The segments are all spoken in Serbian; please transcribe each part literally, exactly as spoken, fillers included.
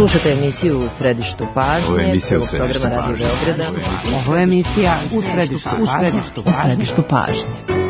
Slušate emisiju U središtu pažnje. Ovo je emisija U središtu programa pažnje. Radio Beograda. Ovo je emisija U središtu, u središtu, u središtu pažnje.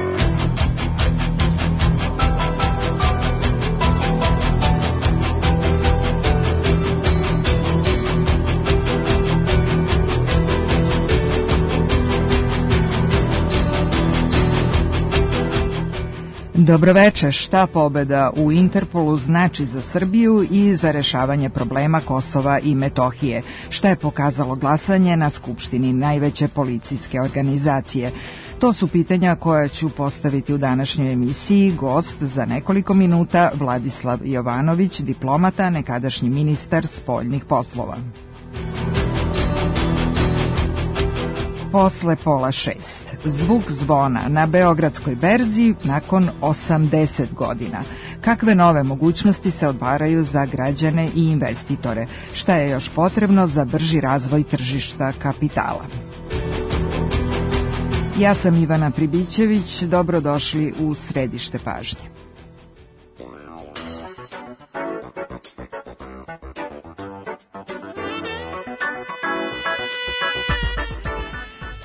Dobroveče, šta pobeda u Interpolu znači za Srbiju i za rešavanje problema Kosova i Metohije? Šta je pokazalo glasanje na Skupštini najveće policijske organizacije? To su pitanja koja ću postaviti u današnjoj emisiji. Gost za nekoliko minuta Vladislav Jovanović, diplomata, nekadašnji ministar spoljnih poslova. Posle pola šest. Zvuk zvona na Beogradskoj berzi nakon osamdeset godina. Kakve nove mogućnosti se otvaraju za građane i investitore? Šta je još potrebno za brži razvoj tržišta kapitala? Ja sam Ivana Pribićević, dobrodošli u središte pažnje.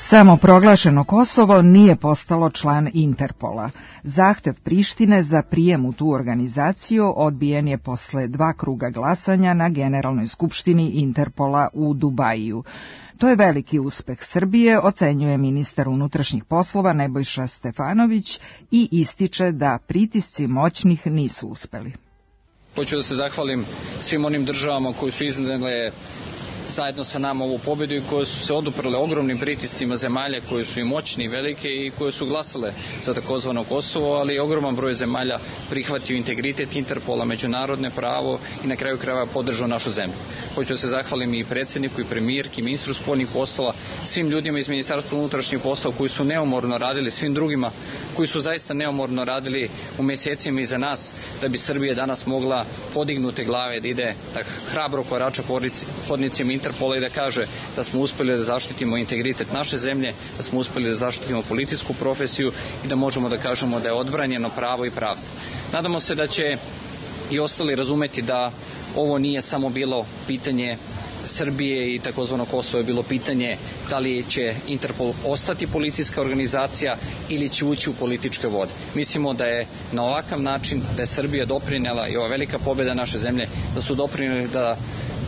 Samoproglašeno Kosovo nije postalo član Interpola. Zahtev Prištine za prijem u tu organizaciju odbijen je posle dva kruga glasanja na Generalnoj skupštini Interpola u Dubaju. To je veliki uspeh Srbije, ocenjuje ministar unutrašnjih poslova Nebojša Stefanović i ističe da pritisci moćnih nisu uspeli. Hoću da se zahvalim svim onim državama koji su iznedle zajedno sa nama ovu pobedu i koje su se oduprle ogromnim pritiscima zemalja koje su i moćni i velike i koje su glasale za takozvano Kosovo, ali ogroman broj zemalja prihvatio integritet Interpola, međunarodne pravo i na kraju krajeva podržao našu zemlju. Hoću da se zahvalim i predsjedniku i premijerki, ministru spoljnih poslova, svim ljudima iz Ministarstva unutrašnjih poslova koji su neumorno radili, svim drugima koji su zaista neumorno radili u mjesecima iza nas da bi Srbija danas mogla podignute glave da ide da hrabro korača hodnicima Interpola i da kaže da smo uspjeli da zaštitimo integritet naše zemlje, da smo uspjeli da zaštitimo policijsku profesiju i da možemo da kažemo da je odbranjeno pravo i pravda. Nadamo se da će i ostali razumeti da ovo nije samo bilo pitanje Srbije i takozvano Kosovo, je bilo pitanje da li će Interpol ostati policijska organizacija ili će ući u političke vode. Mislimo da je na ovakav način, da je Srbija doprinela i ova velika pobjeda naše zemlje, da su doprineli da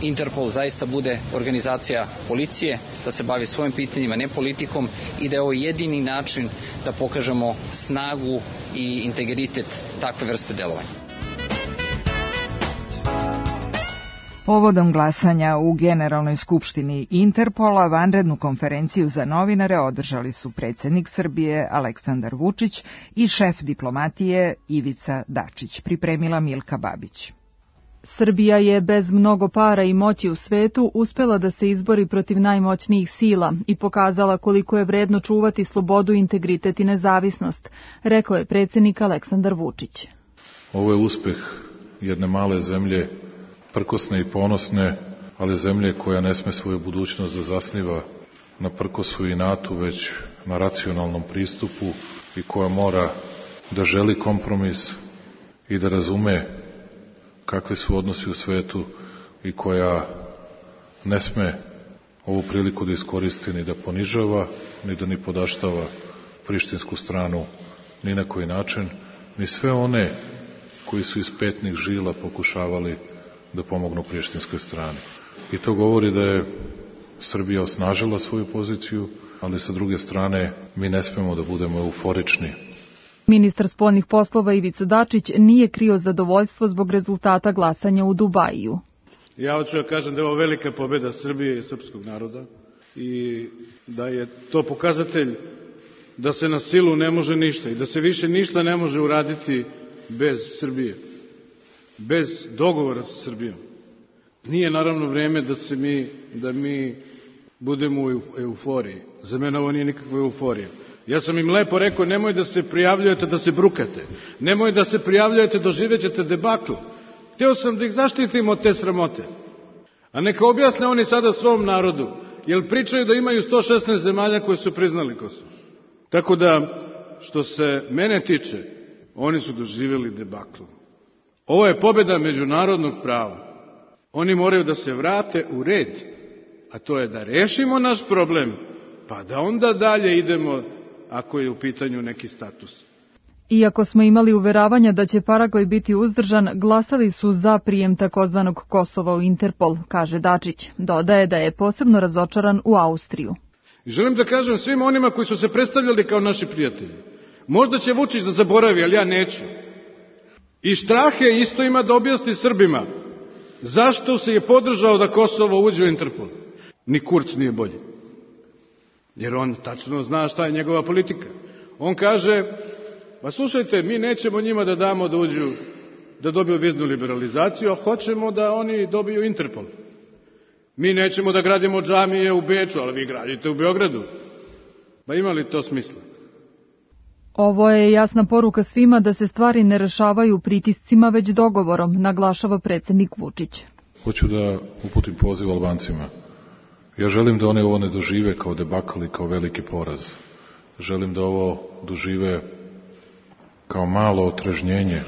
Interpol zaista bude organizacija policije, da se bavi svojim pitanjima, ne politikom i da je ovo jedini način da pokažemo snagu i integritet takve vrste delovanja. Povodom glasanja u Generalnoj skupštini Interpola vanrednu konferenciju za novinare održali su predsjednik Srbije Aleksandar Vučić i šef diplomatije Ivica Dačić, pripremila Milka Babić. Srbija je bez mnogo para i moći u svetu uspela da se izbori protiv najmoćnijih sila i pokazala koliko je vredno čuvati slobodu, integritet i nezavisnost, rekao je predsjednik Aleksandar Vučić. Ovo je uspeh jedne male zemlje, prkosne i ponosne, ali zemlje koja ne sme svoju budućnost da zasniva na prkosu i inatu, već na racionalnom pristupu i koja mora da želi kompromis i da razume kakvi su odnosi u svetu i koja ne sme ovu priliku da iskoristi ni da ponižava, ni da ni podaštava prištinsku stranu ni na koji način, ni sve one koji su iz petnih žila pokušavali da pomognu prištinskoj strani. I to govori da je Srbija osnažila svoju poziciju, ali sa druge strane mi ne smemo da budemo euforični. Ministar spoljnih poslova Ivica Dačić nije krio zadovoljstvo zbog rezultata glasanja u Dubaju. Ja hoću da kažem da je ovo velika pobjeda Srbije i srpskog naroda i da je to pokazatelj da se na silu ne može ništa i da se više ništa ne može uraditi bez Srbije, bez dogovora sa Srbijom. Nije naravno vreme da se mi, da mi budemo u euforiji. Za mene ovo nije nikakva euforija. Ja sam im lepo rekao, nemoj da se prijavljujete da se brukate. Nemoj da se prijavljujete, doživjet ćete debakl. Hteo sam da ih zaštitim od te sramote. A neka objasne oni sada svom narodu, jer pričaju da imaju sto šesnaest zemalja koje su priznali Kosovo. Tako da, što se mene tiče, oni su doživjeli debakl. Ovo je pobjeda međunarodnog prava. Oni moraju da se vrate u red, a to je da rešimo naš problem, pa da onda dalje idemo ako je u pitanju neki status. Iako smo imali uveravanja da će Paragvaj biti uzdržan, glasali su za prijem takozvanog Kosova u Interpol, kaže Dačić. Dodaje da je posebno razočaran u Austriju. I želim da kažem svim onima koji su se predstavljali kao naši prijatelji. Možda će Vučić da zaboravi, ali ja neću. I Štrahe isto ima da objasni Srbima zašto se je podržao da Kosovo uđe u Interpol. Ni Kurz nije bolji. Jer on tačno zna šta je njegova politika. On kaže, pa slušajte, mi nećemo njima da damo da uđu, da dobiju viznu liberalizaciju, a hoćemo da oni dobiju Interpol. Mi nećemo da gradimo džamije u Beču, ali vi gradite u Beogradu. Pa ima li to smisla? Ovo je jasna poruka svima da se stvari ne rešavaju pritiscima, već dogovorom, naglašava predsjednik Vučić. Hoću da uputim poziv Albancima. Ja želim da oni ovo ne dožive kao debakl i kao veliki poraz. Želim da ovo dožive kao malo otrežnjenje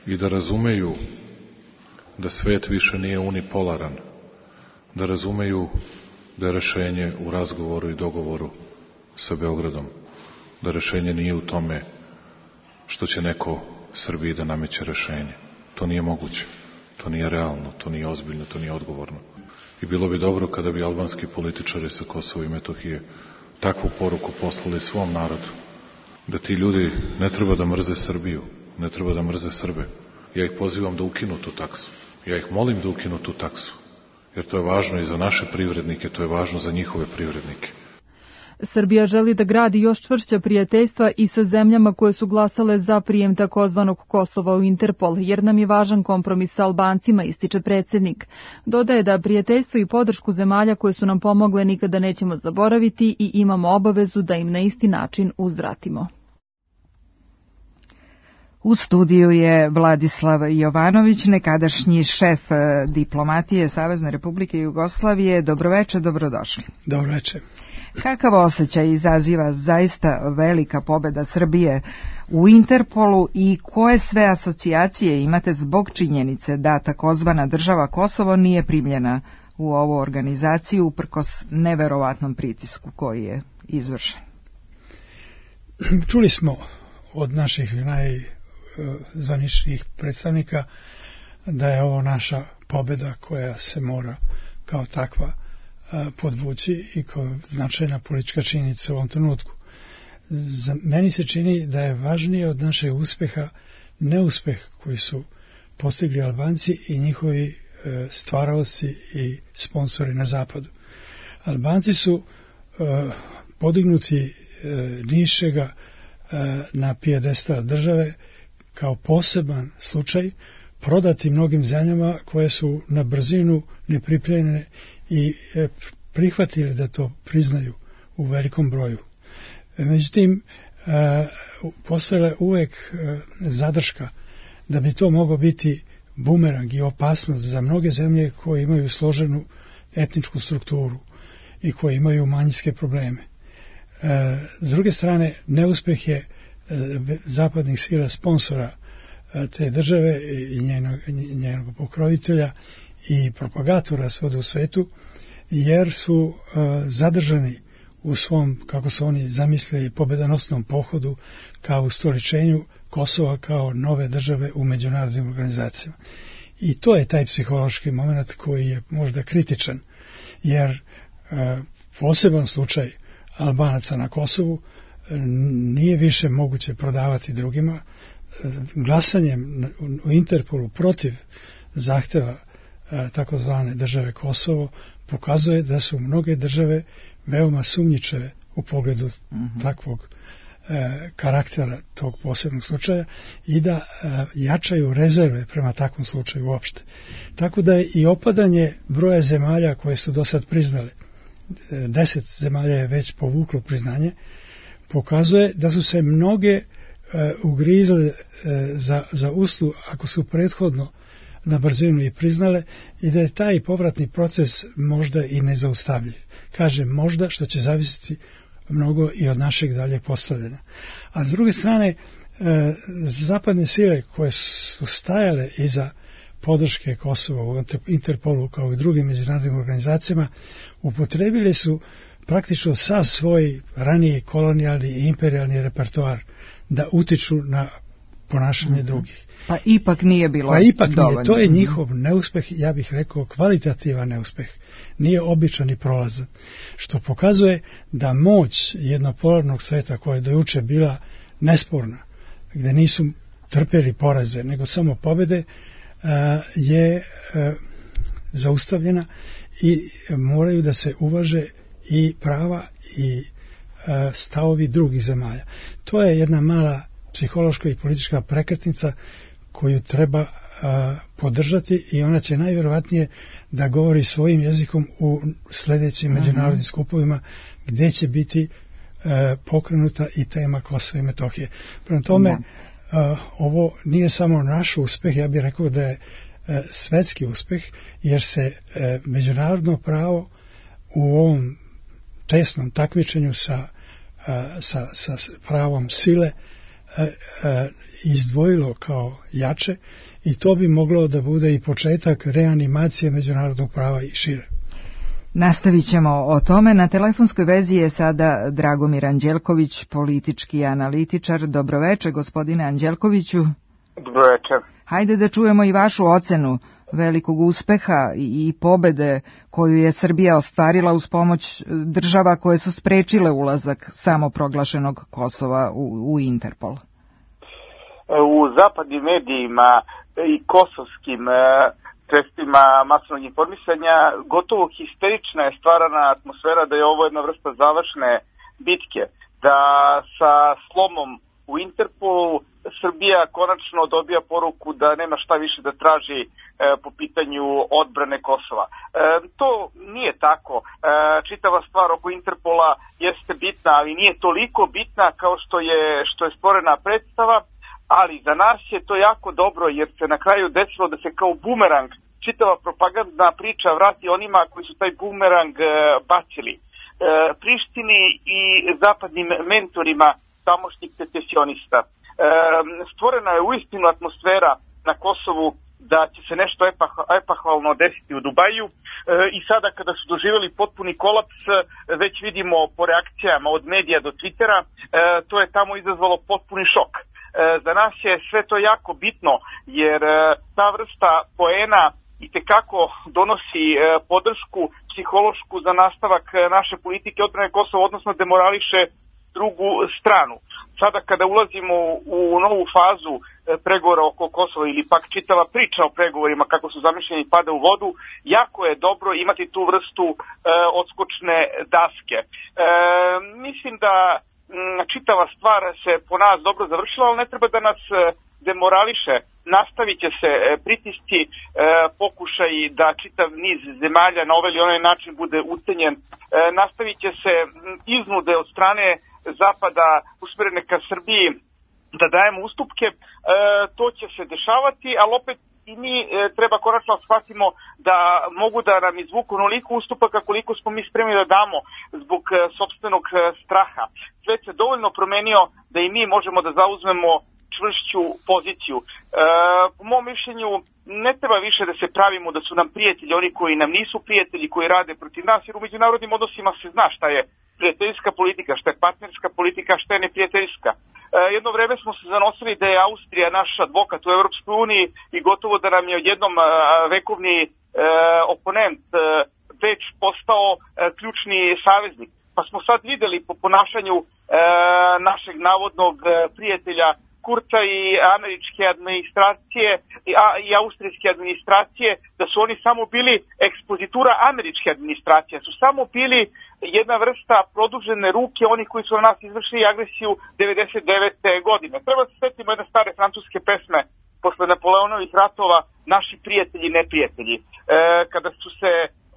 i da razumeju da svet više nije unipolaran, da razumeju da je rešenje u razgovoru i dogovoru sa Beogradom, da rešenje nije u tome što će neko Srbiji da nameće rešenje. To nije moguće, to nije realno, to nije ozbiljno, to nije odgovorno. I bilo bi dobro kada bi albanski političari sa Kosova i Metohije takvu poruku poslali svom narodu, da ti ljudi ne treba da mrze Srbiju, ne treba da mrze Srbe. Ja ih pozivam da ukinu tu taksu. Ja ih molim da ukinu tu taksu, jer to je važno i za naše privrednike, to je važno za njihove privrednike. Srbija želi da gradi još čvršća prijateljstva i sa zemljama koje su glasale za prijem takozvanog Kosova u Interpol, jer nam je važan kompromis sa Albancima, ističe predsjednik. Dodaje da prijateljstvo i podršku zemalja koje su nam pomogle nikada nećemo zaboraviti i imamo obavezu da im na isti način uzvratimo. U studiju je Vladislav Jovanović, nekadašnji šef diplomatije Savezne Republike Jugoslavije. Dobroveče, dobrodošli. Dobroveče. Kakav osjećaj izaziva zaista velika pobeda Srbije u Interpolu i koje sve asocijacije imate zbog činjenice da takozvana država Kosovo nije primljena u ovu organizaciju uprkos neverovatnom pritisku koji je izvršen? Čuli smo od naših najzvaničnijih predstavnika da je ovo naša pobeda koja se mora kao takva podvući i kao značajna politička činjenica u ovom trenutku. Za meni se čini da je važnije od našeg uspeha neuspeh koji su postigli Albanci i njihovi stvaraoci i sponsori na zapadu. Albanci su podignuti nišega na pijedestal države kao poseban slučaj, prodati mnogim zemljama koje su na brzinu nepripremljene i prihvatili da to priznaju u velikom broju. Međutim, postojala je uvek zadrška da bi to moglo biti bumerang i opasnost za mnoge zemlje koje imaju složenu etničku strukturu i koje imaju manjinske probleme. S druge strane, neuspeh je zapadnih sila sponsora te države i njenog, njenog pokrovitelja i propagatora svuda u svetu, jer su uh, zadržani u svom, kako su oni zamislili, pobedonosnom pohodu kao ustoličenju Kosova kao nove države u međunarodnim organizacijama. I to je taj psihološki moment koji je možda kritičan, jer uh, poseban slučaj Albanaca na Kosovu nije više moguće prodavati drugima. Glasanjem u Interpolu protiv zahteva takozvane države Kosovo pokazuje da su mnoge države veoma sumnjičave u pogledu uh-huh. takvog e, karaktera tog posebnog slučaja i da e, jačaju rezerve prema takvom slučaju uopšte. Tako da je i opadanje broja zemalja koje su do sad priznale, e, deset zemalja je već povuklo priznanje, pokazuje da su se mnoge e, ugrizle e, za, za uslu ako su prethodno na brzinu i priznale i da je taj povratni proces možda i nezaustavljiv. Kažem možda, što će zavisiti mnogo i od našeg daljeg postavljanja. A s druge strane, e, zapadne sile koje su stajale iza podrške Kosova u Interpolu kao i drugim međunarodnim organizacijama upotrebili su praktično sav svoj raniji kolonijalni i imperijalni repertoar da utiču na ponašanje mm-hmm. drugih. Pa ipak nije bilo Pa ipak dovoljno. nije. To je njihov neuspeh, ja bih rekao kvalitativan neuspeh. Nije običan i prolazan. Što pokazuje da moć jednopolarnog sveta koja je do juče bila nesporna, gde nisu trpeli poraze, nego samo pobede, je zaustavljena i moraju da se uvaže i prava i stavovi drugih zemalja. To je jedna mala psihološka i politička prekretnica koju treba podržati i ona će najvjerovatnije da govori svojim jezikom u sljedećim uh-huh. međunarodnim skupovima gdje će biti pokrenuta i tema Kosova i Metohije. Prema tome, uh, ovo nije samo naš uspeh, ja bih rekao da je uh, svetski uspeh, jer se uh, međunarodno pravo u ovom tesnom takmičenju sa, uh, sa, sa pravom sile uh, uh, izdvojilo kao jače i to bi moglo da bude i početak reanimacije međunarodnog prava i šire. Nastavit ćemo o tome. Na telefonskoj vezi je sada Dragomir Anđelković, politički analitičar. Dobroveče, gospodine Anđelkoviću. Dobroveče. Hajde da čujemo i vašu ocenu velikog uspeha i pobede koju je Srbija ostvarila uz pomoć država koje su sprečile ulazak samoproglašenog Kosova u, u Interpol. U zapadnim medijima i kosovskim sredstvima masovnog informisanja gotovo histerična je stvarana atmosfera da je ovo jedna vrsta završne bitke, da sa slomom u Interpolu Srbija konačno dobija poruku da nema šta više da traži e, po pitanju odbrane Kosova. E, to nije tako. E, čitava stvar oko Interpola jeste bitna, ali nije toliko bitna kao što je, što je stvorena predstava, ali za nas je to jako dobro jer se na kraju desilo da se kao bumerang čitava propagandna priča vrati onima koji su taj bumerang e, bacili. E, Prištini i zapadnim mentorima tamošnjih secesionista. E, stvorena je uistinu atmosfera na Kosovu da će se nešto epahvalno desiti u Dubaju e, i sada kada su doživjeli potpuni kolaps, već vidimo po reakcijama od medija do Twittera, e, to je tamo izazvalo potpuni šok. E, za nas je sve to jako bitno jer e, ta vrsta poena i tekako donosi e, podršku psihološku za nastavak naše politike odbrane Kosova, odnosno demorališe drugu stranu. Sada kada ulazimo u novu fazu pregovora oko Kosova ili pak čitava priča o pregovorima kako su zamišljeni pada u vodu, jako je dobro imati tu vrstu e, odskočne daske. E, mislim da m, čitava stvar se po nas dobro završila, ali ne treba da nas demorališe. Nastavit će se pritisci, e, pokušaj da čitav niz zemalja na ovaj ili onaj način bude ucenjen. E, nastavit će se iznude od strane Zapada usmjerene ka Srbiji da dajemo ustupke, e, to će se dešavati, ali opet i mi e, treba konačno shvatimo da mogu da nam izvuku onoliko ustupaka koliko smo mi spremni da damo zbog e, sopstvenog e, straha. Svet se dovoljno promenio da i mi možemo da zauzmemo čvršću poziciju. E, po mom mišljenju ne treba više da se pravimo da su nam prijatelji oni koji nam nisu prijatelji, koji rade protiv nas, jer u međunarodnim odnosima se zna šta je prijateljska politika, šta je partnerska politika, šta je neprijateljska. E, jedno vreme smo se zanosili da je Austrija naš advokat u Europskoj uniji i gotovo da nam je odjednom e, vekovni e, oponent e, već postao e, ključni saveznik. Pa smo sad videli po ponašanju e, našeg navodnog e, prijatelja Kurca i američke administracije a, i austrijske administracije, da su oni samo bili ekspozitura američke administracije, su samo bili jedna vrsta produžene ruke onih koji su na nas izvršili agresiju devedeset devete godine. Treba se setimo jedne stare francuske pesme posle Napoleonovih ratova, naši prijatelji i neprijatelji. E, kada su se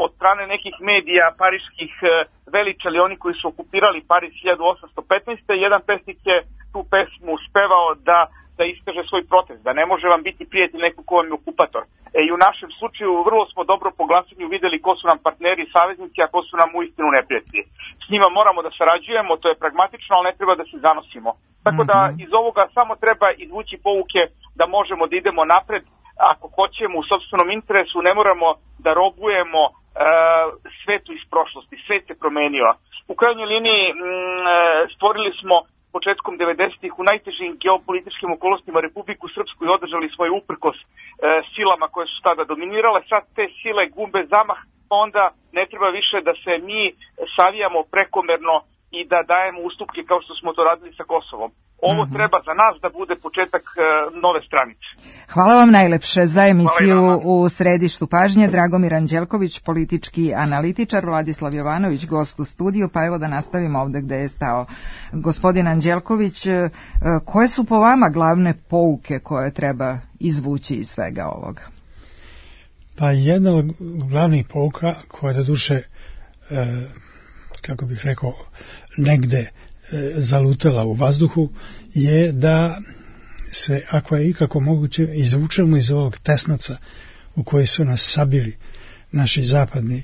od strane nekih medija pariških e, veličali oni koji su okupirali Pariz hiljadu osamsto petnaeste. Jedan pesnik je tu pesmu spevao da, da iskaže svoj protest, da ne može vam biti prijatelj neko ko vam je okupator. E, I u našem slučaju vrlo smo dobro po glasanju videli ko su nam partneri i saveznici, a ko su nam uistinu neprijatelji. S njima moramo da sarađujemo, to je pragmatično, ali ne treba da se zanosimo. Tako da iz ovoga samo treba izvući pouke da možemo da idemo napred, ako hoćemo u sopstvenom interesu, ne moramo da robujemo uh, svetu iz prošlosti. Svet se promenio. U krajnjoj liniji m, stvorili smo početkom devedesetih u najtežim geopolitičkim okolnostima Republiku Srpsku i održali svoje uprkos e, silama koje su tada dominirale. Sad te sile gube zamah, onda ne treba više da se mi savijamo prekomerno i da dajemo ustupke kao što smo to radili sa Kosovom. Ovo mm-hmm. treba za nas da bude početak e, nove stranice. Hvala vam najlepše za emisiju u središtu pažnje. Dragomir Anđelković, politički analitičar, Vladislav Jovanović, gost u studiju, pa evo da nastavimo ovde gde je stao gospodin Anđelković. Koje su po vama glavne pouke koje treba izvući iz svega ovoga? Pa jedna od glavnih pouka koja je do duše, e, kako bih rekao, negde e, zalutala u vazduhu, je da se, ako je ikako moguće, izvučemo iz ovog tesnaca u koji su nas sabili naši zapadni e,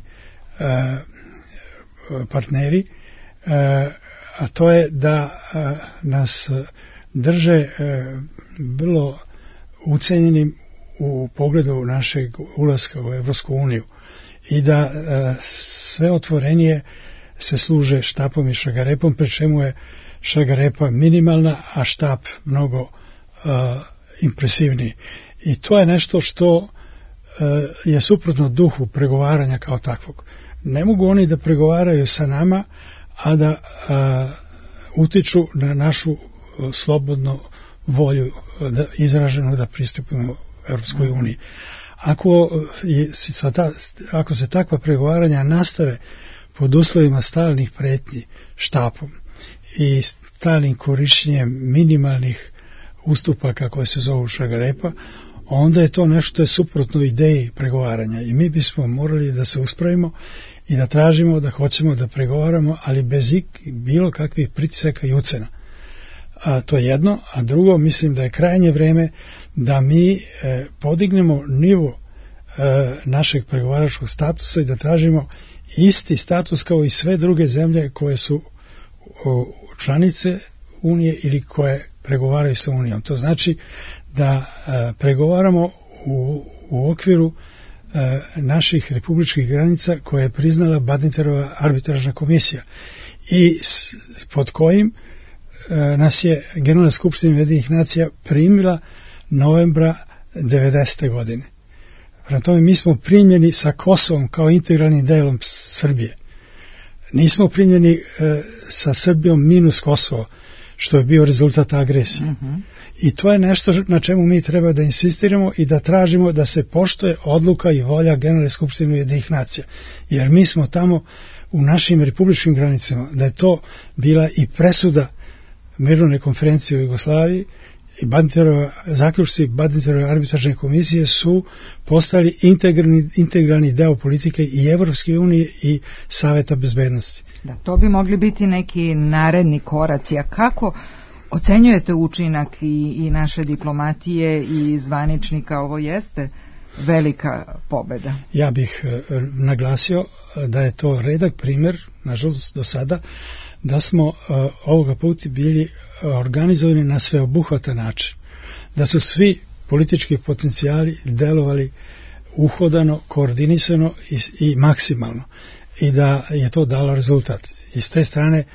partneri, e, a to je da e, nas drže e, vrlo ucenjenim u pogledu našeg ulaska u Evropsku uniju i da e, sve otvorenije se služe štapom i šargarepom, pri čemu je šargarepa minimalna, a štap mnogo uh, impresivniji. I to je nešto što uh, je suprotno duhu pregovaranja kao takvog. Ne mogu oni da pregovaraju sa nama, a da uh, utiču na našu uh, slobodnu volju uh, da, izraženu da pristupimo Evropskoj uniji. Ako, je, ako se takva pregovaranja nastave pod uslovima stalnih pretnji štapom i stalnim korišćenjem minimalnih ustupaka koje se zovu šargarepa, onda je to nešto je suprotno ideji pregovaranja i mi bismo morali da se uspravimo i da tražimo da hoćemo da pregovaramo, ali bez bilo kakvih pritisaka i ucena. A to je jedno, a drugo, mislim da je krajnje vreme da mi e, podignemo nivo e, našeg pregovaračkog statusa i da tražimo isti status kao i sve druge zemlje koje su o, članice Unije ili koje pregovaraju sa Unijom. To znači da e, pregovaramo u, u okviru e, naših republičkih granica koje je priznala Badinterova arbitražna komisija i s, pod kojim e, nas je Generalna skupština Ujedinjenih nacija primila novembra devedesete godine. Prema tome mi smo primljeni sa Kosovom kao integralnim delom Srbije. Nismo primljeni e, sa Srbijom minus Kosovo, što je bio rezultat agresije. Mm-hmm. I to je nešto na čemu mi treba da insistiramo i da tražimo da se poštuje odluka i volja Generalne skupštine Ujedinjenih nacija. Jer mi smo tamo u našim republičkim granicama, da je to bila i presuda mirovne konferencije u Jugoslaviji i Badinterova, zaključci Badinterove arbitražne komisije su postali integralni, integralni deo politike i Evropske unije i Saveta bezbednosti. Da, to bi mogli biti neki naredni koraci. A kako ocenjujete učinak i, i naše diplomatije i zvaničnika? Ovo jeste velika pobeda. Ja bih e, naglasio da je to redak primjer, nažalost do sada, da smo e, ovoga puta bili organizovani na sveobuhvatan način. Da su svi politički potencijali delovali uhodano, koordinisano i, i maksimalno. I da je to dalo rezultat. I s te strane e,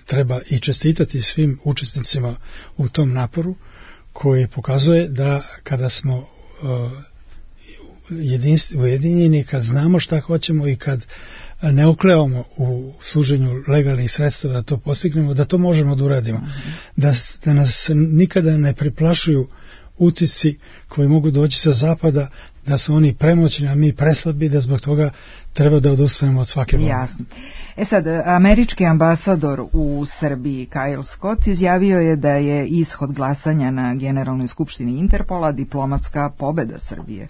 treba i čestitati svim učesnicima u tom naporu koji pokazuje da kada smo e, ujedinjeni, kad znamo šta hoćemo i kad ne oklevamo u služenju legalnih sredstava da to postignemo, da to možemo da uradimo. Da, da nas nikada ne preplašuju utisci koji mogu doći sa zapada, da su oni premoćni, a mi preslabi, da zbog toga treba da odustanemo od svake borbe. Jasno. E sad, američki ambasador u Srbiji, Kyle Scott, izjavio je da je ishod glasanja na Generalnoj skupštini Interpola diplomatska pobeda Srbije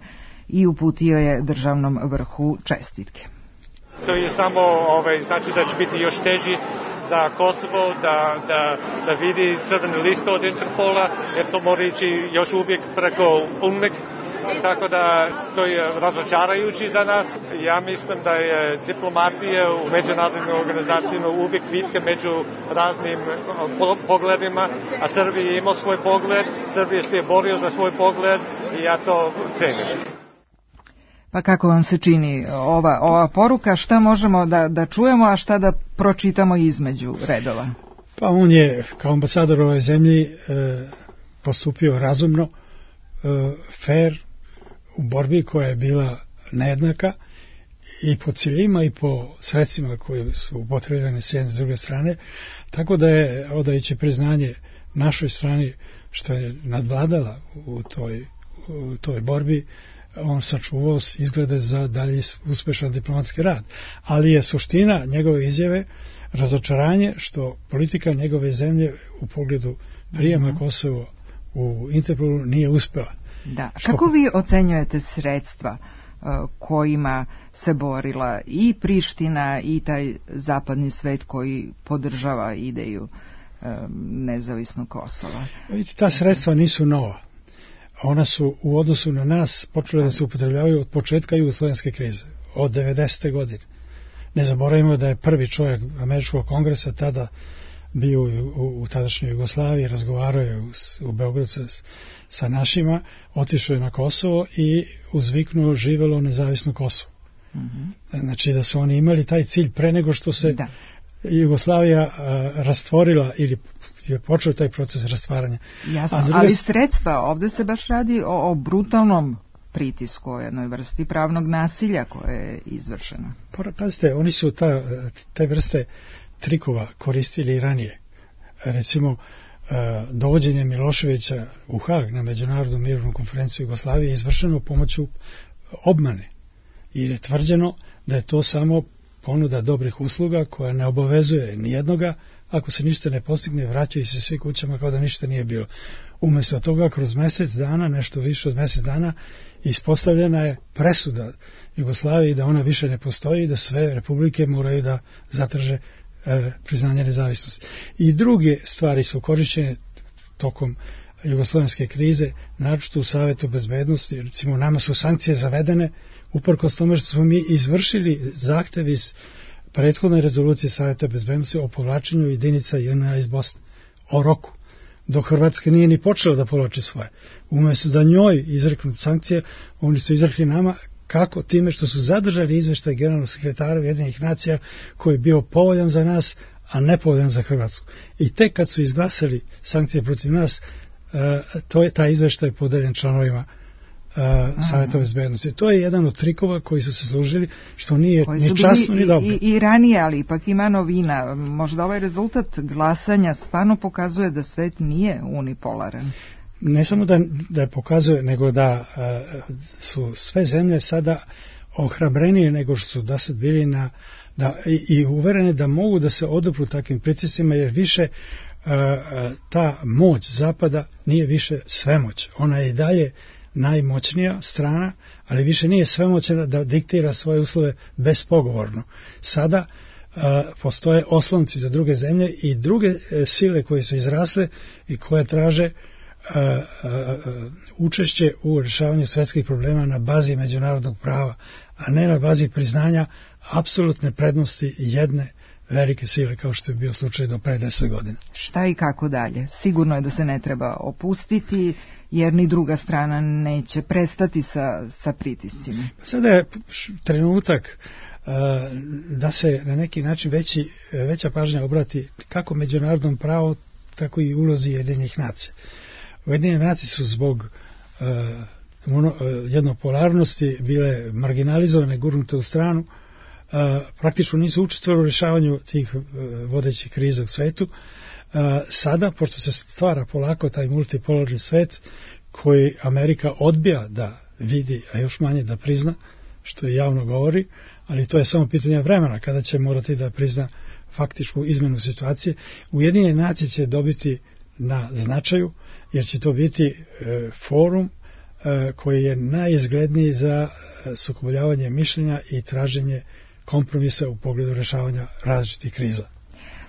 i uputio je državnom vrhu čestitke. To je samo ovaj, znači da će biti još teži za Kosovo da, da, da vidi crveni list od Interpola, jer to mora ići još uvijek preko UNMIK tako da to je razočarajući za nas. Ja mislim da je diplomatija u međunarodnim organizacijama uvijek bitka među raznim pogledima, a Srbija je imao svoj pogled, Srbija se je borio za svoj pogled i ja to cenim. Pa kako vam se čini ova, ova poruka, šta možemo da, da čujemo, a šta da pročitamo između redova? Pa on je kao ambasador ove zemlji e, postupio razumno, e, fair, u borbi koja je bila nejednaka i po ciljima i po sredstvima koje su upotrebljene s jedne s druge strane, tako da je odajući priznanje našoj strani što je nadvladala u toj, u toj borbi, on sačuvao izglede za dalje uspešan diplomatski rad. Ali je suština njegove izjave razočaranje što politika njegove zemlje u pogledu prijema mm-hmm. Kosovo u Interpolu nije uspela. Da. Kako vi ocenjujete sredstva uh, kojima se borila i Priština i taj zapadni svet koji podržava ideju uh, nezavisnog Kosova? Vidite, ta sredstva nisu nova. Ona su u odnosu na nas počele da se upotrebljavaju od početka jugoslovenske krize, od devedesete godine. Ne zaboravimo da je prvi čovjek Američkog kongresa tada bio u, u tadašnjoj Jugoslaviji, razgovarao je u, u Beogradu sa, sa našima, otišao je na Kosovo i uzviknuo živelo nezavisno Kosovo. Mm-hmm. Znači da su oni imali taj cilj pre nego što se da. Jugoslavija a, rastvorila ili je počeo taj proces rastvaranja. Jasno, druge... ali sredstva, ovdje se baš radi o, o brutalnom pritisku, o jednoj vrsti pravnog nasilja koje je izvršeno. Pazite, oni su ta, te vrste trikova koristili i ranije. Recimo, dovođenje Miloševića u Hag na Međunarodnu mirovnu konferenciju Jugoslavije je izvršeno pomoću obmane. I je tvrđeno da je to samo ponuda dobrih usluga koja ne obavezuje nijednoga, ako se ništa ne postigne, vraćaju se svi kućama kao da ništa nije bilo. Umjesto toga, kroz mjesec dana, nešto više od mjesec dana, ispostavljena je presuda Jugoslaviji da ona više ne postoji i da sve republike moraju da zatraže e, priznanje nezavisnosti. I druge stvari su korišćene tokom jugoslovenske krize, naročito u Savetu bezbednosti. Recimo, nama su sankcije zavedene uprkos tome što smo mi izvršili zahtev iz prethodne rezolucije Saveta bezbednosti o povlačenju jedinica J N A iz Bosne, o roku, dok Hrvatska nije ni počela da povlači svoje. Umjesto da njoj izreknu sankcije, oni su izrekli nama kako time što su zadržali izveštaj generalnog sekretara Ujedinjenih nacija koji je bio povoljan za nas, a ne povoljan za Hrvatsku. I tek kad su izglasali sankcije protiv nas, to je taj izveštaj podeljen članovima Uh, Saveta bezbednosti. To je jedan od trikova koji su se služili, što nije ni časno ni dobro. I, i ranije, ali ipak ima novina. Možda ovaj rezultat glasanja stvarno pokazuje da svet nije unipolaran. Ne samo da, da pokazuje, nego da uh, su sve zemlje sada ohrabrenije nego što su da sad bili na, da, i, i uverene da mogu da se odupru takvim pritiscima, jer više uh, ta moć Zapada nije više svemoć. Ona je i dalje najmoćnija strana, ali više nije svemoćna da diktira svoje uslove bespogovorno. Sada uh, postoje oslonci za druge zemlje i druge uh, sile koje su izrasle i koje traže uh, uh, učešće u rješavanju svetskih problema na bazi međunarodnog prava, a ne na bazi priznanja apsolutne prednosti jedne velike sile, kao što je bio slučaj do pre deset godina. Šta i kako dalje? Sigurno je da se ne treba opustiti, jer ni druga strana neće prestati sa, sa pritiscima. Sada je trenutak uh, da se na neki način veći, veća pažnja obrati kako međunarodnom pravu, tako i ulozi Ujedinjenih nacija. Ujedinjene nacije su zbog uh, mono, uh, jednopolarnosti bile marginalizovane, gurnute u stranu, uh, praktično nisu učestvovali u rješavanju tih uh, vodećih kriza u svetu. Uh, sada, pošto se stvara polako taj multipolarni svet koji Amerika odbija da vidi, a još manje da prizna, što je javno govori, ali to je samo pitanje vremena kada će morati da prizna faktičku izmenu situacije. Ujedinjene nacije će dobiti na značaju, jer će to biti e, forum e, koji je najizgledniji za sukobljavanje mišljenja i traženje kompromisa u pogledu rješavanja različitih kriza.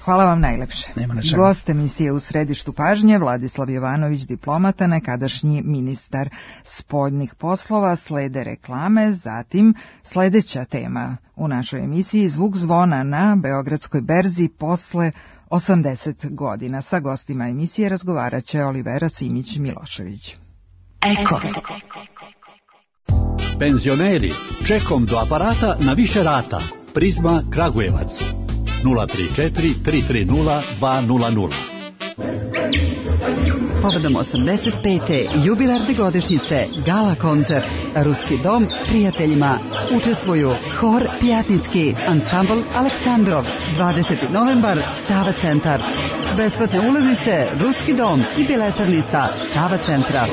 Hvala vam najlepše. Nema na čemu. Gost emisije U središtu pažnje, Vladislav Jovanović, diplomata, nekadašnji ministar spoljnih poslova. Slede reklame, zatim sledeća tema u našoj emisiji, zvuk zvona na Beogradskoj berzi posle osamdeset godina. Sa gostima emisije razgovarat će Olivera Simić-Milošević. Eko. Penzioneri, čekom do aparata na više rata. Prizma Kragujevac. nula tri četiri tri tri nula dva nula nula. Povodom osamdeset pete jubilarne godišnjice Gala koncert Ruski dom prijateljima učestvuju Hor Pjatnicki, ansambl Aleksandrov, dvadeseti novembar, Sava centar. Besplatne ulaznice, Ruski dom i biletarnica Sava centra.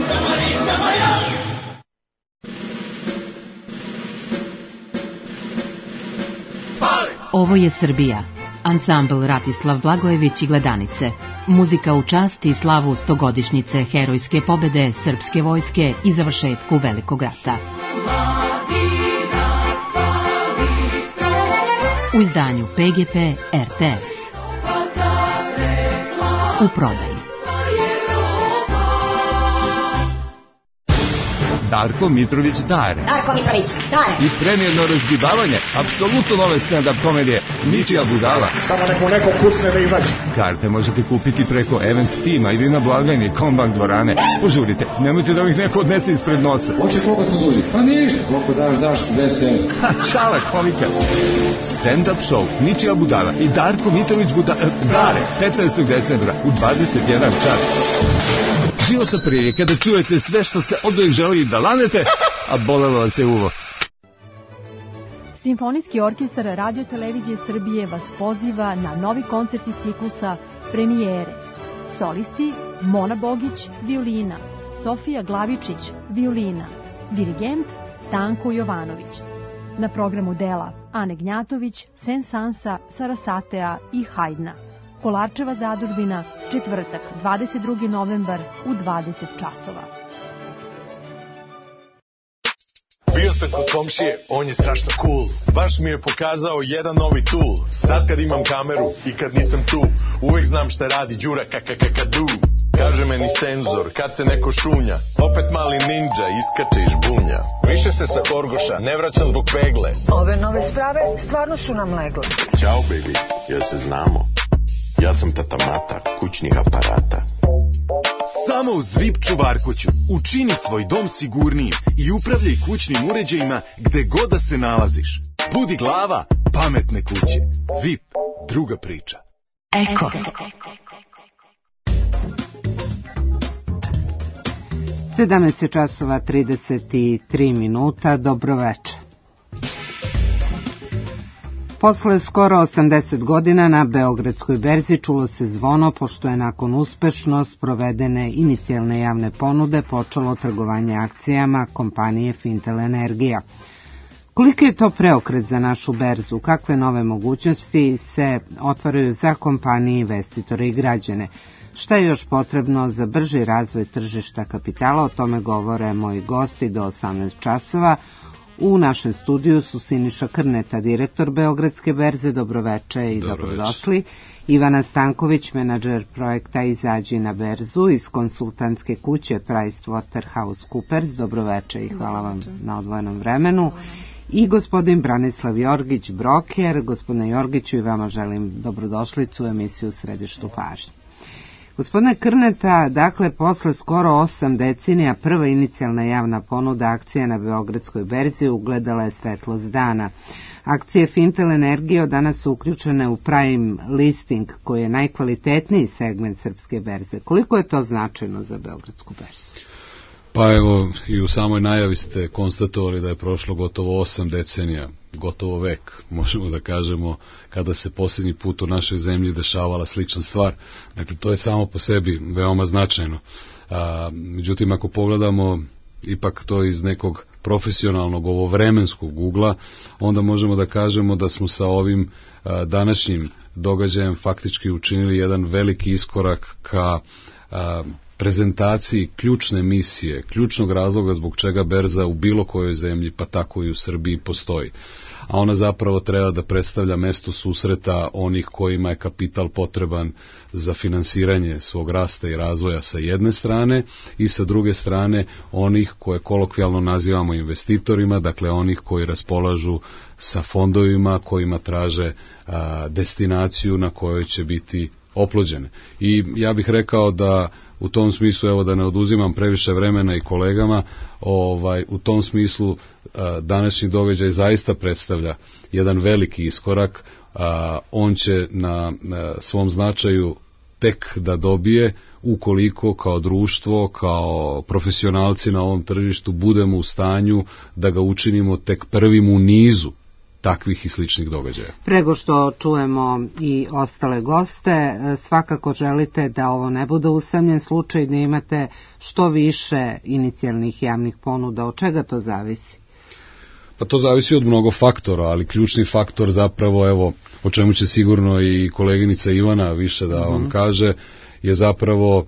Ovo je Srbija. Ansambl Ratislav Blagojević i Gledanice. Muzika u čast i slavu stogodišnjice herojske pobede srpske vojske i završetku Velikog rata. U izdanju P G P R T S. U prodaji. Darko Mitrović Dare. Darko Mitrović Dare. I premijerno razgibavanje, apsolutno nove stand-up komedije, Ničija budala. Samo neko neko kucne da izađe. Karte možete kupiti preko Event Tima ili na blagajni Kombank dvorane. Požurite, nemojte da ih neko odnese ispred nosa. Hoćeš koliko smo duži? Pa ništa, koliko daš, daš, deset evra. Ha, šala komika. Stand-up show, Ničija budala i Darko Mitrović buda, Dare, petnaestog decembra u dvadeset jedan čas. Životna prilika da čujete sve što se oduvijek želi da lanete, a bolelo vas je uvo. Simfonijski orkestar Radio Televizije Srbije vas poziva na novi koncert iz ciklusa Premijere. Solisti Mona Bogić, violina, Sofija Glavičić, violina, dirigent Stanko Jovanović. Na programu dela Ane Gnjatović, Sensansa, Sarasatea i Hajdna. Kolarčeva zadužbina, četvrtak, dvadeset drugi novembar u dvadeset časova. Bio sam kod komšije, on je strašno cool. Baš mi je pokazao jedan novi tool. Sad kad imam kameru i kad nisam tu, uvek znam šta radi Đura kakakakadu. Kaže meni senzor, kad se neko šunja, opet mali ninja iskače iz bunja. Više se sa Horgoša ne vraćam zbog pegle. Ove nove sprave stvarno su nam legle. Ćao baby, jel se znamo? Ja sam tata Mata, kućnih aparata. Samo u Zvip čuvarkuću učini svoj dom sigurnijim i upravljaj kućnim uređajima gde god da se nalaziš. Budi glava pametne kuće. Vip, druga priča. Eko. sedamnaest časova trideset tri minuta, dobro večer. Posle skoro osamdeset godina na Beogradskoj berzi čulo se zvono, pošto je nakon uspešno sprovedene inicijalne javne ponude počelo trgovanje akcijama kompanije Fintel Energija. Koliki je to preokret za našu berzu? Kakve nove mogućnosti se otvaraju za kompanije, investitore i građane? Šta je još potrebno za brži razvoj tržišta kapitala? O tome govore moji gosti do osamnaest časova. U našem studiju su Siniša Krneta, direktor Beogradske berze, dobroveče i dobrodošli. Ivana Stanković, menadžer projekta Izađi na berzu iz konsultantske kuće PricewaterhouseCoopers, dobroveče i hvala vam na odvojenom vremenu. I gospodin Branislav Jorgić, broker. Gospodine Jorgiću, i vama želim dobrodošlicu u emisiju Središtu pažnje. Gospodine Krneta, dakle, posle skoro osam decenija prva inicijalna javna ponuda akcija na Beogradskoj berzi ugledala je svetlost dana. Akcije Fintel Energije od danas su uključene u prime listing, koji je najkvalitetniji segment srpske berze. Koliko je to značajno za Beogradsku berzu? Pa evo, i u samoj najavi ste konstatovali da je prošlo gotovo osam decenija, gotovo vek, možemo da kažemo, kada se posljednji put u našoj zemlji dešavala slična stvar. Dakle, to je samo po sebi veoma značajno. A, međutim, ako pogledamo ipak to iz nekog profesionalnog ovovremenskog ugla, onda možemo da kažemo da smo sa ovim a, današnjim događajem faktički učinili jedan veliki iskorak ka a, prezentaciji ključne misije, ključnog razloga zbog čega berza u bilo kojoj zemlji, pa tako i u Srbiji, postoji. A ona zapravo treba da predstavlja mesto susreta onih kojima je kapital potreban za finansiranje svog rasta i razvoja sa jedne strane i sa druge strane onih koje kolokvijalno nazivamo investitorima, dakle onih koji raspolažu sa fondovima kojima traže a, destinaciju na kojoj će biti oplođene. I ja bih rekao da u tom smislu, evo da ne oduzimam previše vremena i kolegama, ovaj, u tom smislu a, današnji događaj zaista predstavlja jedan veliki iskorak. A, on će na, na svom značaju tek da dobije ukoliko kao društvo, kao profesionalci na ovom tržištu budemo u stanju da ga učinimo tek prvim u nizu takvih i sličnih događaja. Prego što čujemo i ostale goste, svakako želite da ovo ne bude usamljen slučaj, da imate što više inicijalnih javnih ponuda. Od čega to zavisi? Pa to zavisi od mnogo faktora, ali ključni faktor zapravo, evo, o čemu će sigurno i koleginica Ivana više da vam mm-hmm. kaže, je zapravo,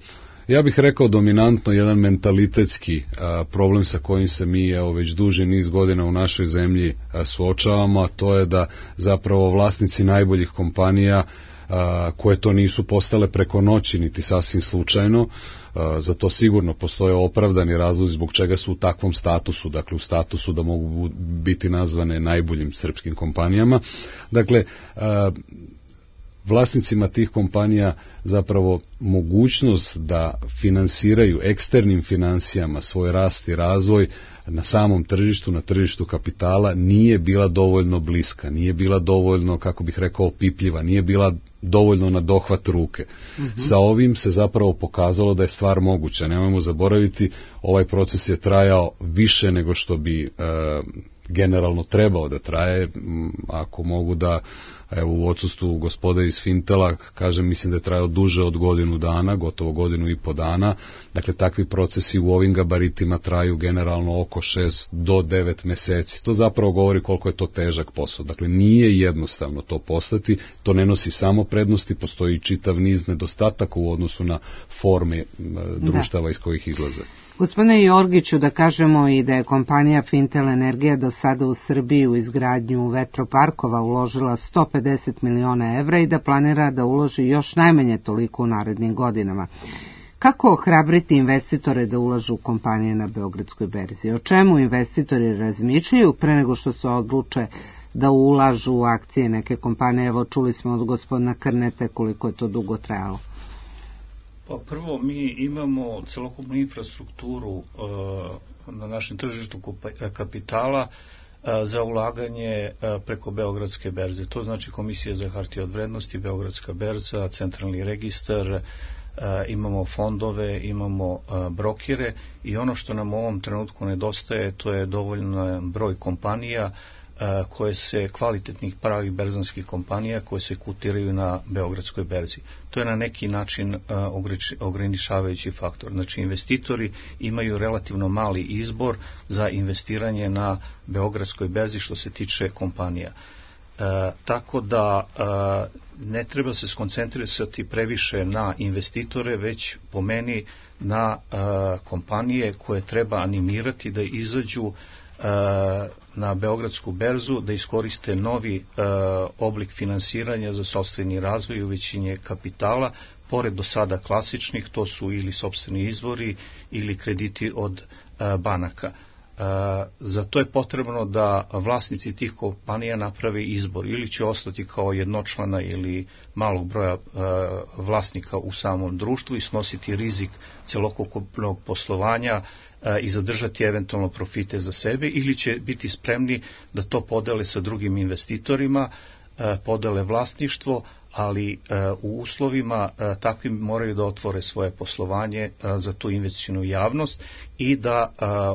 ja bih rekao dominantno jedan mentalitetski a, problem sa kojim se mi evo već duži niz godina u našoj zemlji a, suočavamo, a to je da zapravo vlasnici najboljih kompanija a, koje to nisu postale preko noći niti sasvim slučajno, a, za to sigurno postoje opravdani razlozi zbog čega su u takvom statusu, dakle u statusu da mogu biti nazvane najboljim srpskim kompanijama. Dakle, a, vlasnicima tih kompanija zapravo mogućnost da finansiraju eksternim financijama svoj rast i razvoj na samom tržištu, na tržištu kapitala nije bila dovoljno bliska, nije bila dovoljno, kako bih rekao, opipljiva, nije bila dovoljno na dohvat ruke. Mm-hmm. Sa ovim se zapravo pokazalo da je stvar moguća. Nemojmo zaboraviti, ovaj proces je trajao više nego što bi e, generalno trebao da traje. Ako mogu da, evo, u odsustvu gospode iz Fintela, kažem, mislim da je trajao duže od godinu dana, gotovo godinu i po dana. Dakle, takvi procesi u ovim gabaritima traju generalno oko šest do devet meseci. To zapravo govori koliko je to težak posao. Dakle, nije jednostavno to postati, to ne nosi samo prednosti, postoji čitav niz nedostataka u odnosu na forme društava da. Iz kojih izlaze. Gospodine Jorgiću, da kažemo i da je kompanija Fintel Energija do sada u Srbiji u izgradnju vetroparkova uložila sto pedeset miliona evra i da planira da uloži još najmanje toliko u narednim godinama. Kako ohrabriti investitore da ulažu u kompanije na Beogradskoj berzi? O čemu investitori razmišljaju pre nego što se odluče da ulažu u akcije neke kompanije? Evo, čuli smo od gospodina Krnete koliko je to dugo trajalo. Pa prvo, mi imamo celokupnu infrastrukturu uh, na našem tržištu kapitala uh, za ulaganje uh, preko Beogradske berze. To znači Komisija za hartije od vrednosti, Beogradska berza, Centralni registar, uh, imamo fondove, imamo uh, brokere i ono što nam u ovom trenutku nedostaje, to je dovoljan broj kompanija koje se kvalitetnih pravih berzanskih kompanija koje se kotiraju na Beogradskoj berzi. To je na neki način ograničavajući faktor. Znači, investitori imaju relativno mali izbor za investiranje na Beogradskoj berzi što se tiče kompanija. E, tako da e, ne treba se skoncentrisati previše na investitore, već po meni na e, kompanije koje treba animirati da izađu na Beogradsku berzu, da iskoriste novi e, oblik finansiranja za sopstveni razvoj i uvećanje kapitala, pored do sada klasičnih, to su ili sopstveni izvori ili krediti od e, banaka. E, za to je potrebno da vlasnici tih kompanija naprave izbor, ili će ostati kao jednočlana ili malog broja e, vlasnika u samom društvu i snositi rizik celokupnog poslovanja i zadržati eventualno profite za sebe, ili će biti spremni da to podele sa drugim investitorima, podele vlasništvo, ali u uslovima takvim moraju da otvore svoje poslovanje za tu investicionu javnost i da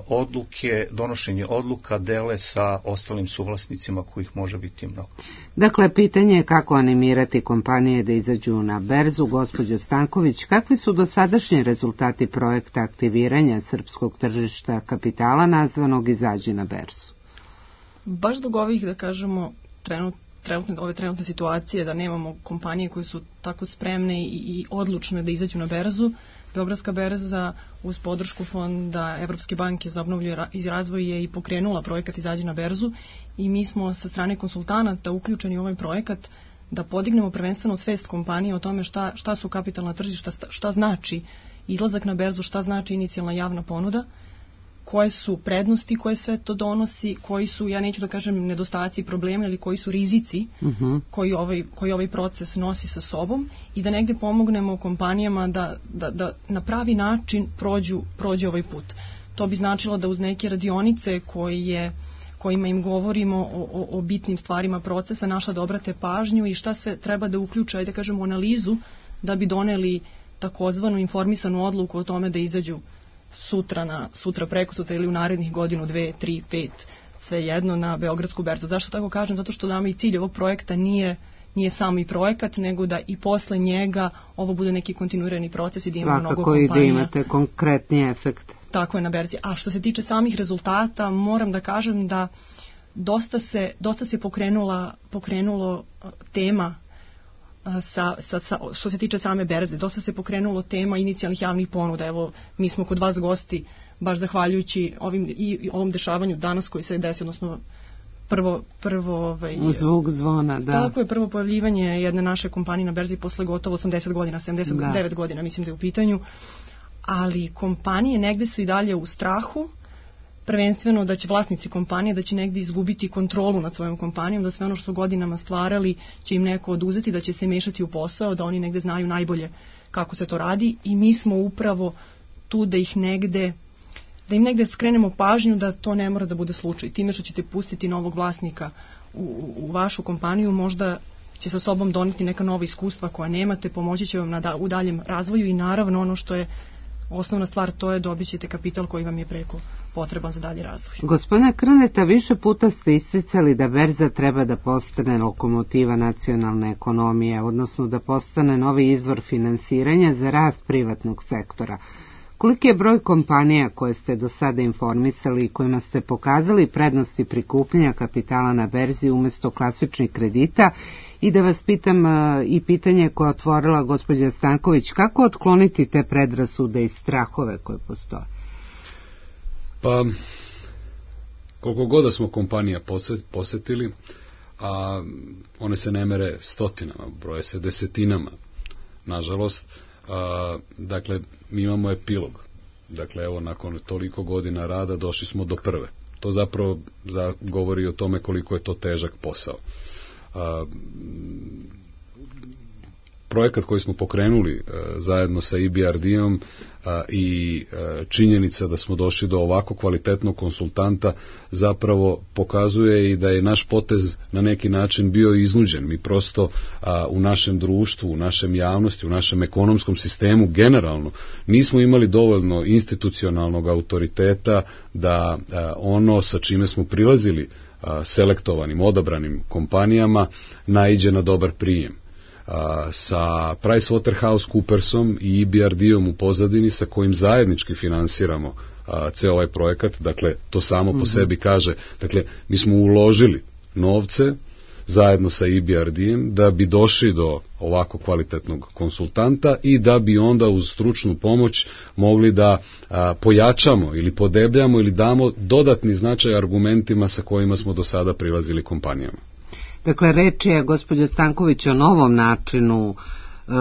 odluke, donošenje odluka dele sa ostalim suvlasnicima kojih može biti mnogo. Dakle, pitanje je kako animirati kompanije da izađu na berzu. Gospođo Stanković, kakvi su dosadašnji rezultati projekta aktiviranja srpskog tržišta kapitala nazvanog Izađi na berzu? Baš zbog ovih, da kažemo, trenutno trenutne, ove trenutne situacije, da nemamo kompanije koje su tako spremne i, i odlučne da izađu na berzu, Beogradska berza uz podršku Fonda Evropske banke za obnovlju i razvoj je i pokrenula projekat Izađi na berzu i mi smo sa strane konsultanata uključeni u ovaj projekat da podignemo prvenstveno svest kompanije o tome šta, šta su kapitalna tržišta, šta, šta znači izlazak na berzu, šta znači inicijalna javna ponuda, koje su prednosti koje sve to donosi, koji su, ja neću da kažem nedostaci, problemi, ali koji su rizici uh-huh. koji, ovaj, koji ovaj proces nosi sa sobom i da negde pomognemo kompanijama da, da, da na pravi način prođu, prođu ovaj put. To bi značilo da uz neke radionice koje, kojima im govorimo o, o, o bitnim stvarima procesa, naša da obrate pažnju i šta sve treba da uključa, da kažemo, analizu da bi doneli takozvanu informisanu odluku o tome da izađu sutra, na, sutra preko sutra ili u narednih godinu, dve, tri, pet, sve jedno na Beogradsku berzu. Zašto tako kažem? Zato što nama i cilj ovog projekta nije, nije samo i projekat, nego da i posle njega ovo bude neki kontinuirani proces i da ima mnogo kompanija. Svakako i da imate konkretni efekt. Tako je na berzi. A što se tiče samih rezultata, moram da kažem da dosta se, dosta se pokrenula, pokrenulo tema Sa, sa, sa, što se tiče same berze, dosta se pokrenulo tema inicijalnih javnih ponuda. Evo, mi smo kod vas gosti, baš zahvaljujući ovim, i, i ovom dešavanju danas koji se desi, odnosno prvo... prvo ovaj, zvuk zvona, da. Tako je, prvo pojavljivanje jedne naše kompanije na berzi posle gotovo osamdeset godina, sedamdeset devet da. godina, mislim da je u pitanju, ali kompanije negde su i dalje u strahu, prvenstveno da će vlasnici kompanije da će negdje izgubiti kontrolu nad svojom kompanijom, da sve ono što su godinama stvarali će im neko oduzeti, da će se mešati u posao, da oni negdje znaju najbolje kako se to radi i mi smo upravo tu da ih negde, da im negdje skrenemo pažnju da to ne mora da bude slučaj. Time što ćete pustiti novog vlasnika u, u vašu kompaniju, možda će sa sobom doneti neka nova iskustva koja nemate, pomoći će vam na da, u daljem razvoju i naravno ono što je osnovna stvar, to je dobit ćete kapital koji vam je preko potreban za dalji razvoj. Gospodine Krneta, više puta ste isticali da berza treba da postane lokomotiva nacionalne ekonomije, odnosno da postane novi izvor finansiranja za rast privatnog sektora. Koliki je broj kompanija koje ste do sada informisali i kojima ste pokazali prednosti prikupljanja kapitala na berzi umjesto klasičnih kredita? I da vas pitam i pitanje koje je otvorila gospođa Stanković, kako otkloniti te predrasude i strahove koje postoje? Pa, koliko god da smo kompanija posetili, a one se ne mere stotinama, broje se desetinama, nažalost. A, dakle, mi imamo epilog. Dakle, evo, nakon toliko godina rada došli smo do prve. To zapravo za, govori o tome koliko je to težak posao. A, projekat koji smo pokrenuli a, zajedno sa I B R D-om a, i a, činjenica da smo došli do ovako kvalitetnog konsultanta zapravo pokazuje i da je naš potez na neki način bio iznuđen. Mi prosto a, u našem društvu, u našem javnosti, u našem ekonomskom sistemu generalno nismo imali dovoljno institucionalnog autoriteta da a, ono sa čime smo prilazili a, selektovanim, odabranim kompanijama naiđe na dobar prijem. A, sa PricewaterhouseCoopersom i I B R D-om u pozadini sa kojim zajednički finansiramo a, ceo ovaj projekat, dakle to samo po mm-hmm. sebi kaže, dakle mi smo uložili novce zajedno sa I B R D-em da bi došli do ovako kvalitetnog konsultanta i da bi onda uz stručnu pomoć mogli da a, pojačamo ili podebljamo ili damo dodatni značaj argumentima sa kojima smo do sada prilazili kompanijama. Dakle, reč je, gospođo Stanković, o novom načinu e,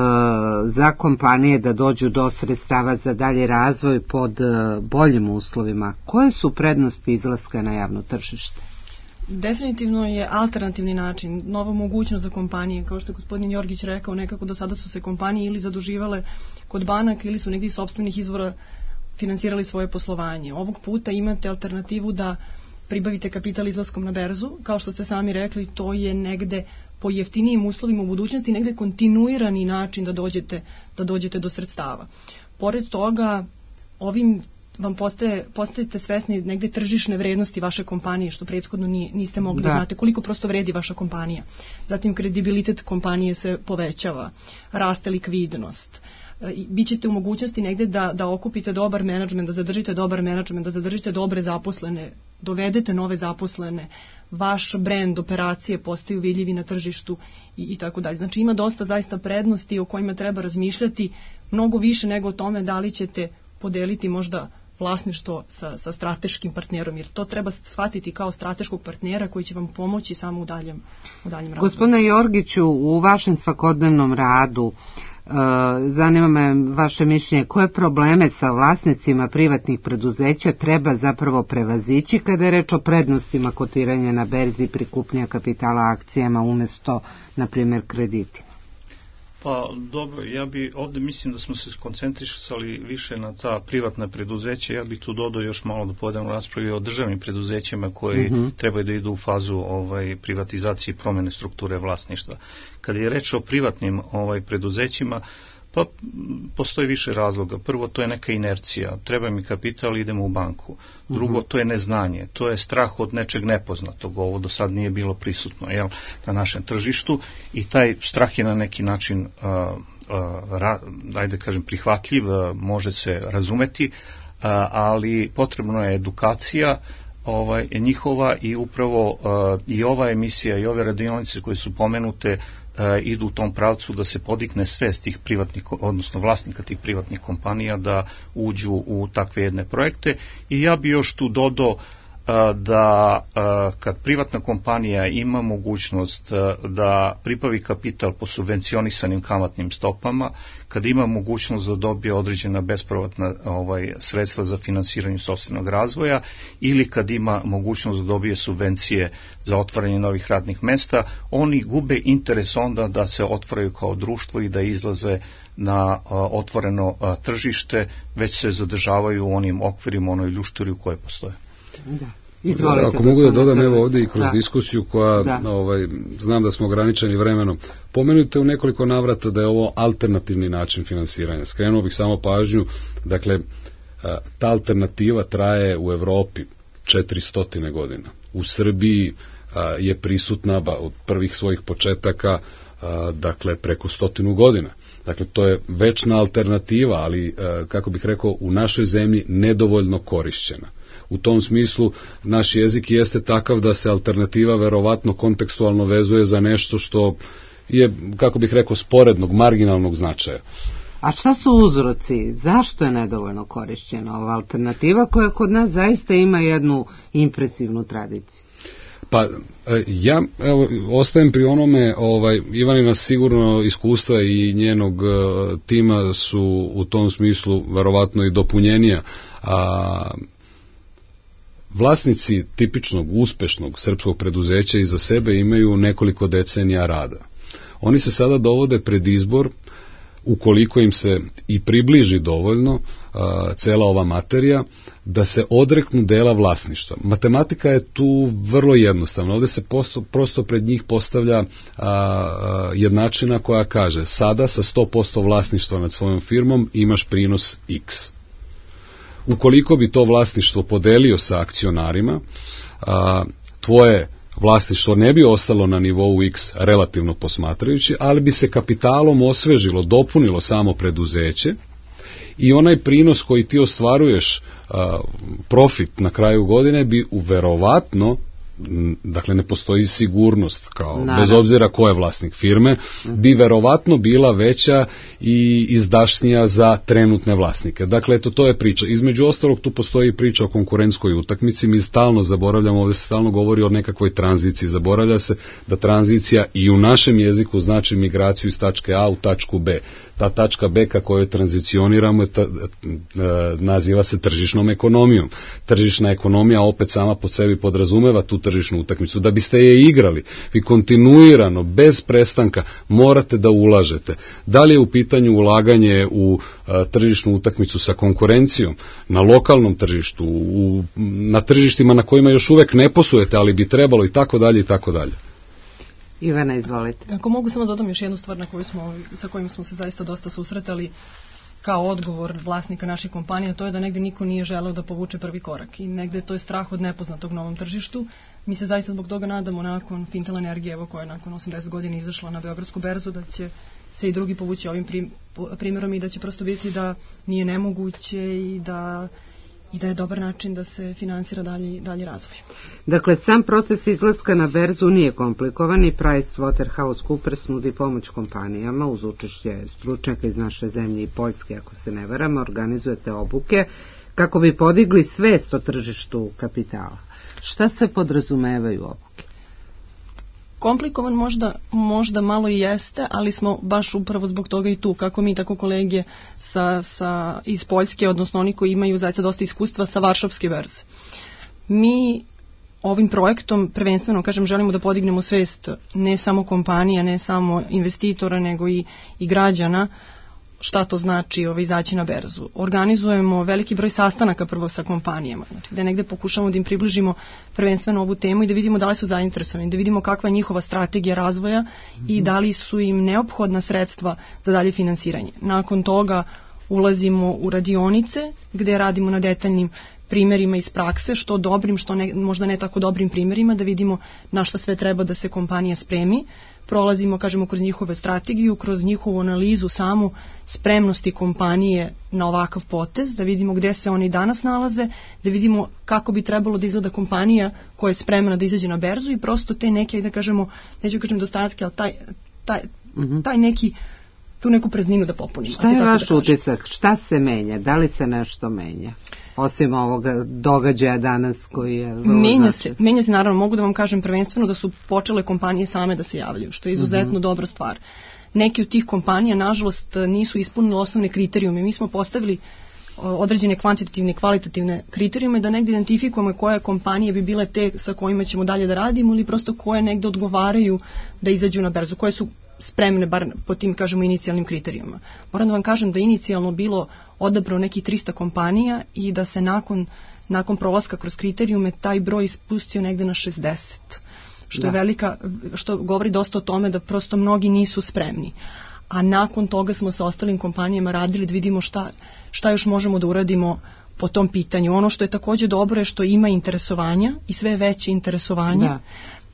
za kompanije da dođu do sredstava za dalji razvoj pod e, boljim uslovima. Koje su prednosti izlaska na javno tržište? Definitivno je alternativni način, nova mogućnost za kompanije. Kao što je gospodin Jorgić rekao, nekako do sada su se kompanije ili zaduživale kod banaka ili su negdje iz sopstvenih izvora finansirali svoje poslovanje. Ovog puta imate alternativu da pribavite kapital izlaskom na berzu, kao što ste sami rekli, to je negde po jeftinijim uslovima u budućnosti, negde kontinuirani način da dođete, da dođete do sredstava. Pored toga, ovim vam postaje, postajete svesni negde tržišne vrednosti vaše kompanije, što prethodno nije, niste mogli da. da znate koliko prosto vredi vaša kompanija. Zatim kredibilitet kompanije se povećava, raste likvidnost, bićete u mogućnosti negde da, da okupite dobar menadžment, da zadržite dobar menadžment, da zadržite dobre zaposlene, dovedete nove zaposlene, vaš brend, operacije postaju vidljivi na tržištu i, i tako dalje. Znači ima dosta zaista prednosti o kojima treba razmišljati, mnogo više nego o tome da li ćete podeliti možda vlasništvo sa, sa strateškim partnerom, jer to treba shvatiti kao strateškog partnera koji će vam pomoći samo u daljem, u daljem razvoju. Gospodine Jorgiću, u vašem svakodnevnom radu zanima me vaše mišljenje, koje probleme sa vlasnicima privatnih preduzeća treba zapravo prevazići kada je reč o prednostima kotiranja na berzi i prikupljanja kapitala akcijama umesto, na primjer, kreditima? Pa dobro, ja bi ovde mislim da smo se skoncentrisali više na ta privatna preduzeća, ja bih tu dodao još malo da povedemo raspravi o državnim preduzećima koji uh-huh. trebaju da idu u fazu ovaj, privatizacije i promene strukture vlasništva. Kada je reč o privatnim ovaj, preduzećima, pa postoji više razloga. Prvo, to je neka inercija. Treba mi kapital, idemo u banku. Drugo, to je neznanje. To je strah od nečeg nepoznatog. Ovo do sad nije bilo prisutno jel, na našem tržištu i taj strah je na neki način a, a, ra, ajde kažem, prihvatljiv, a, može se razumeti, a, ali potrebna je edukacija ovaj, njihova i upravo a, i ova emisija i ove radionice koje su pomenute idu u tom pravcu da se podigne svest tih privatnih, odnosno vlasnika tih privatnih kompanija da uđu u takve jedne projekte. I ja bi još tu dodao da kad privatna kompanija ima mogućnost da pribavi kapital po subvencionisanim kamatnim stopama, kad ima mogućnost da dobije određena bespovratna ovaj, sredstva za finansiranje sopstvenog razvoja ili kad ima mogućnost da dobije subvencije za otvaranje novih radnih mesta, oni gube interes onda da se otvaraju kao društvo i da izlaze na a, otvoreno a, tržište, već se zadržavaju u onim okvirima, onoj ljušturi u kojoj postoje. Da. Izvolite, ako mogu da dodam evo ovdje i kroz da. diskusiju koja da. ovaj, znam da smo ograničeni vremenom, pomenute u nekoliko navrata da je ovo alternativni način finansiranja. Skrenuo bih samo pažnju, dakle ta alternativa traje u Evropi četiristo godina. U Srbiji je prisutna od prvih svojih početaka dakle preko stotinu godina. Dakle, to je večna alternativa, ali kako bih rekao, u našoj zemlji nedovoljno korišćena. U tom smislu naš jezik jeste takav da se alternativa verovatno kontekstualno vezuje za nešto što je, kako bih rekao, sporednog, marginalnog značaja. A šta su uzroci? Zašto je nedovoljno korišćena ova alternativa koja kod nas zaista ima jednu impresivnu tradiciju? Pa ja evo, ostajem pri onome, ovaj, Ivanina sigurno iskustva i njenog uh, tima su u tom smislu verovatno i dopunjenija, a vlasnici tipičnog, uspešnog srpskog preduzeća iza sebe imaju nekoliko decenija rada. Oni se sada dovode pred izbor, ukoliko im se i približi dovoljno a, cela ova materija, da se odreknu dela vlasništva. Matematika je tu vrlo jednostavna. Ovdje se posto, prosto pred njih postavlja a, a, jednačina koja kaže sada sa sto posto vlasništva nad svojom firmom imaš prinos X. Ukoliko bi to vlasništvo podelio sa akcionarima, a, tvoje vlasništvo ne bi ostalo na nivou X relativno posmatrajući, ali bi se kapitalom osvežilo, dopunilo samo preduzeće i onaj prinos koji ti ostvaruješ, a, profit na kraju godine bi uverovatno, dakle ne postoji sigurnost kao, Naravno. bez obzira ko je vlasnik firme, bi verovatno bila veća i izdašnija za trenutne vlasnike. Dakle, eto, to je priča. Između ostalog, tu postoji priča o konkurentskoj utakmici. Mi stalno zaboravljamo, ovdje se stalno govori o nekakvoj tranziciji. Zaboravlja se da tranzicija i u našem jeziku znači migraciju iz tačke A u tačku B. Ta tačka B ka kojoj tranzicioniramo ta, naziva se tržišnom ekonomijom. Tržišna ekonomija opet sama po sebi podrazumeva tu tržišnu utakmicu. Da biste je igrali, vi kontinuirano, bez prestanka, morate da ulažete. Da li je u pitanju ulaganje u a, tržišnu utakmicu sa konkurencijom, na lokalnom tržištu, u, na tržištima na kojima još uvek ne poslujete, ali bi trebalo i tako dalje i tako dalje. Ivana, izvolite. Ako mogu samo dodam još jednu stvar na koju smo, sa kojim smo se zaista dosta susretali kao odgovor vlasnika naših kompanija, to je da negde niko nije želeo da povuče prvi korak i negde to je strah od nepoznatog novom tržištu. Mi se zaista zbog toga nadamo nakon Fintel Energije, evo koja je nakon osamdeset godina izašla na Beogradsku berzu, da će se i drugi povući ovim primjerom i da će prosto vidjeti da nije nemoguće i da i da je dobar način da se finansira dalji, dalji razvoj. Dakle, sam proces izlaska na berzu nije komplikovan i PricewaterhouseCoopers nudi pomoć kompanijama uz učešće stručnjaka iz naše zemlje i Poljske, ako se ne varam, organizujete obuke kako bi podigli svest o tržištu kapitala. Šta se podrazumevaju obuke? Komplikovan možda, možda malo i jeste, ali smo baš upravo zbog toga i tu, kako mi, tako kolege sa, sa, iz Poljske, odnosno oni koji imaju zaista dosta iskustva sa Varšavske berze. Mi ovim projektom prvenstveno, kažem, želimo da podignemo svest ne samo kompanija, ne samo investitora, nego i, i građana, šta to znači ovaj, izaći na berzu. Organizujemo veliki broj sastanaka prvo sa kompanijama, znači gde negde pokušamo da im približimo prvenstveno ovu temu i da vidimo da li su zainteresovani, da vidimo kakva je njihova strategija razvoja mm-hmm. i da li su im neophodna sredstva za dalje finansiranje. Nakon toga ulazimo u radionice gde radimo na detaljnim primjerima iz prakse, što dobrim, što ne, možda ne tako dobrim primjerima, da vidimo na šta sve treba da se kompanija spremi. Prolazimo, kažemo, kroz njihove strategiju, kroz njihovu analizu samu spremnosti kompanije na ovakav potez, da vidimo gde se oni danas nalaze, da vidimo kako bi trebalo da izgleda kompanija koja je spremna da izađe na berzu i prosto te neke, da kažemo, neću kažem dostatke, ali taj, taj, taj neki, tu neku prazninu da popunimo. Šta je vaš utisak? Šta se menja? Da li se nešto menja? Osim ovoga događaja danas koji je... Menja se, menja se, naravno, mogu da vam kažem prvenstveno da su počele kompanije same da se javljaju, što je izuzetno mm-hmm. dobra stvar. Neki od tih kompanija, nažalost, nisu ispunili osnovne kriterijume. Mi smo postavili određene kvantitativne i kvalitativne kriterijume da negdje identifikujemo koje kompanije bi bile te sa kojima ćemo dalje da radimo ili prosto koje negdje odgovaraju da izađu na berzu, koje su spremne, bar po tim, kažemo, inicijalnim kriterijuma. Moram da vam kažem da inicijalno bilo odabrao nekih trista kompanija i da se nakon, nakon prolaska kroz kriterijume taj broj ispustio negde na šezdeset. Što da. je velika, što govori dosta o tome da prosto mnogi nisu spremni. A nakon toga smo sa ostalim kompanijama radili da vidimo šta, šta još možemo da uradimo po tom pitanju. Ono što je također dobro je što ima interesovanja i sve veće interesovanje. Da.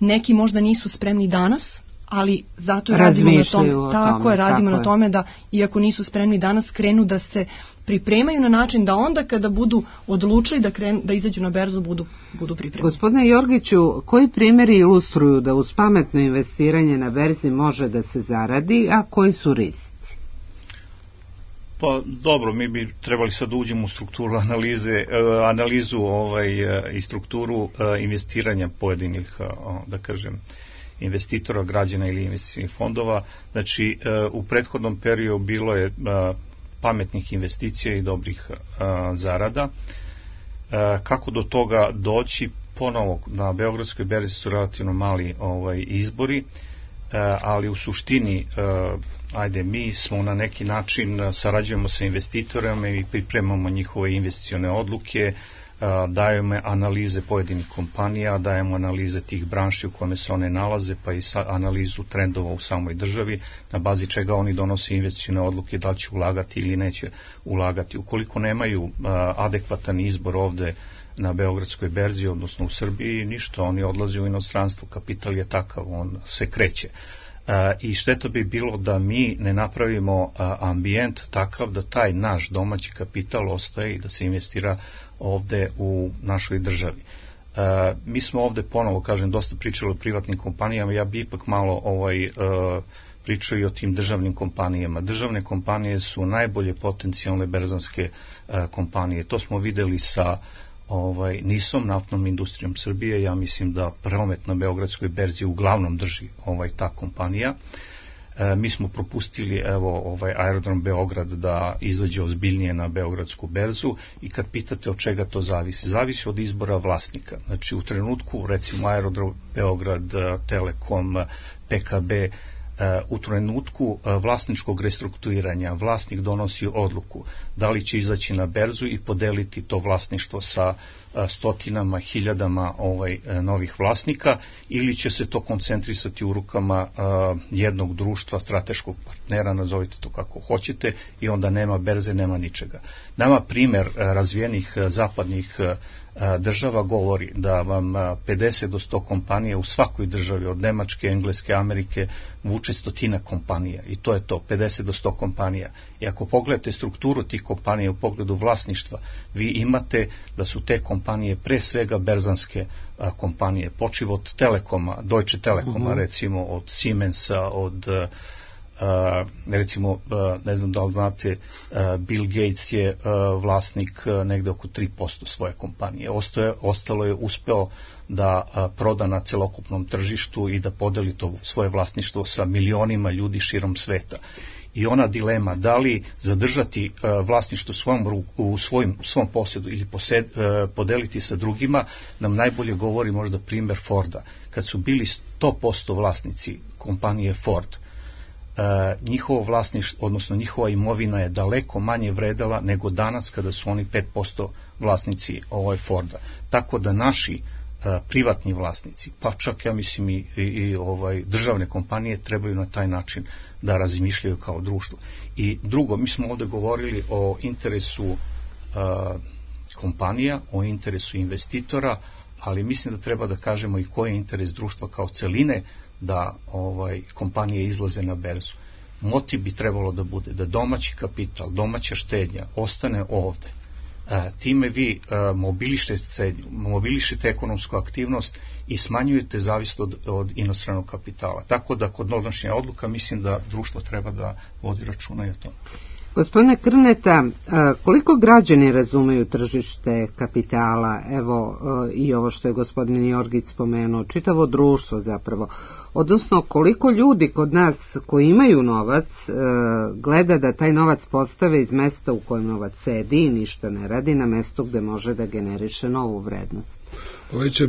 Neki možda nisu spremni danas, ali zato je radimo na tome, tako tome, je radimo tako na tome da iako nisu spremni danas krenu da se pripremaju na način da onda kada budu odlučili da krenu, da izađu na berzu budu budu pripremljeni. Gospodine Jorgiću, koji primjeri ilustruju da uz pametno investiranje na berzi može da se zaradi, a koji su rizici? Pa dobro, mi bi trebali sad da uđemo u strukturu analize, analizu ovaj, i strukturu investiranja pojedinih, da kažem, investitora, građana ili investicijnih fondova. Znači, u prethodnom periodu bilo je pametnih investicija i dobrih zarada. Kako do toga doći? Ponovo, na Beogradskoj berzi su relativno mali ovaj, izbori, ali u suštini, ajde, mi smo na neki način, sarađujemo sa investitorima i pripremamo njihove investicione odluke, dajemo analize pojedinih kompanija, dajemo analize tih branši u kome se one nalaze, pa i analizu trendova u samoj državi, na bazi čega oni donose investicione odluke, da li će ulagati ili neće ulagati. Ukoliko nemaju adekvatan izbor ovde na Beogradskoj berzi, odnosno u Srbiji, ništa, oni odlaze u inostranstvo, kapital je takav, on se kreće. I šteta bi bilo da mi ne napravimo ambijent takav da taj naš domaći kapital ostaje i da se investira ovde u našoj državi. Mi smo ovde, ponovo kažem, dosta pričali o privatnim kompanijama, ja bi ipak malo ovaj, pričao i o tim državnim kompanijama. Državne kompanije su najbolje potencijalne berzanske kompanije. To smo videli sa Ovaj, nisom, naftnom industrijom Srbije. Ja mislim da promet na Beogradskoj berzi uglavnom drži ovaj, ta kompanija. E, mi smo propustili evo, ovaj, aerodrom Beograd da izađe ozbiljnije na Beogradsku berzu i kad pitate od čega to zavisi, zavisi od izbora vlasnika. Znači u trenutku recimo aerodrom Beograd, Telekom, P K B, u trenutku vlasničkog restrukturiranja vlasnik donosi odluku da li će izaći na berzu i podeliti to vlasništvo sa stotinama, hiljadama ovaj, novih vlasnika ili će se to koncentrisati u rukama jednog društva, strateškog partnera, nazovite to kako hoćete, i onda nema berze, nema ničega. Nama primer razvijenih zapadnih država govori da vam pedeset do sto kompanija u svakoj državi, od Nemačke, Engleske, Amerike, vuče šestotina kompanija i to je to, pedeset do sto kompanija. I ako pogledate strukturu tih kompanija u pogledu vlasništva, vi imate da su te kompanije pre svega berzanske a, kompanije, počiv od Telekoma, Deutsche Telekoma, uh-huh. recimo od Siemensa, od Uh, recimo, uh, ne znam da li znate, uh, Bill Gates je uh, vlasnik uh, negde oko tri posto svoje kompanije. Ostaje, ostalo je uspeo da uh, proda na celokupnom tržištu i da podeli to svoje vlasništvo sa milionima ljudi širom sveta. I ona dilema, da li zadržati uh, vlasništvo svojom ruku, u svojim, svom posjedu ili posed, uh, podeliti sa drugima, nam najbolje govori možda primjer Forda. Kad su bili sto posto vlasnici kompanije Ford, Uh, njihovo vlasništvo, odnosno njihova imovina je daleko manje vredela nego danas kada su oni pet posto vlasnici ovaj Forda. Tako da naši uh, privatni vlasnici, pa čak ja mislim i, i, i ovaj, državne kompanije trebaju na taj način da razmišljaju kao društvo. I drugo, mi smo ovdje govorili o interesu uh, kompanija, o interesu investitora, ali mislim da treba da kažemo i koji je interes društva kao celine da ovaj kompanije izlaze na berzu. Motiv bi trebalo da bude da domaći kapital, domaća štednja ostane ovde. E, time vi e, mobilišete, mobilišete ekonomsku aktivnost i smanjujete zavisnost od, od inostranog kapitala. Tako da kod donošenja odluka mislim da društvo treba da vodi računa i o tome. Gospodine Krneta, koliko građani razumeju tržište kapitala, evo i ovo što je gospodin Jorgić spomenuo, čitavo društvo zapravo, odnosno koliko ljudi kod nas koji imaju novac gleda da taj novac postave iz mesta u kojem novac sedi i ništa ne radi na mesto gde može da generiše novu vrednost? Već je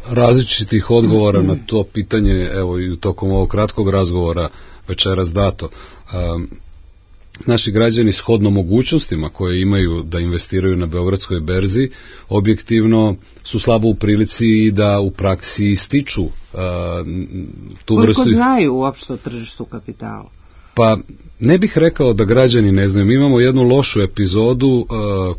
različitih odgovora na to pitanje, evo i u tokom ovog kratkog razgovora večeras dato. Um, Naši građani shodno mogućnostima koje imaju da investiraju na Beogradskoj berzi objektivno su slabo u prilici i da u praksi stiču uh, tu Koliko vrstu... Koliko znaju uopšte o tržištu kapitala? Pa ne bih rekao da građani ne znaju. Mi imamo jednu lošu epizodu uh,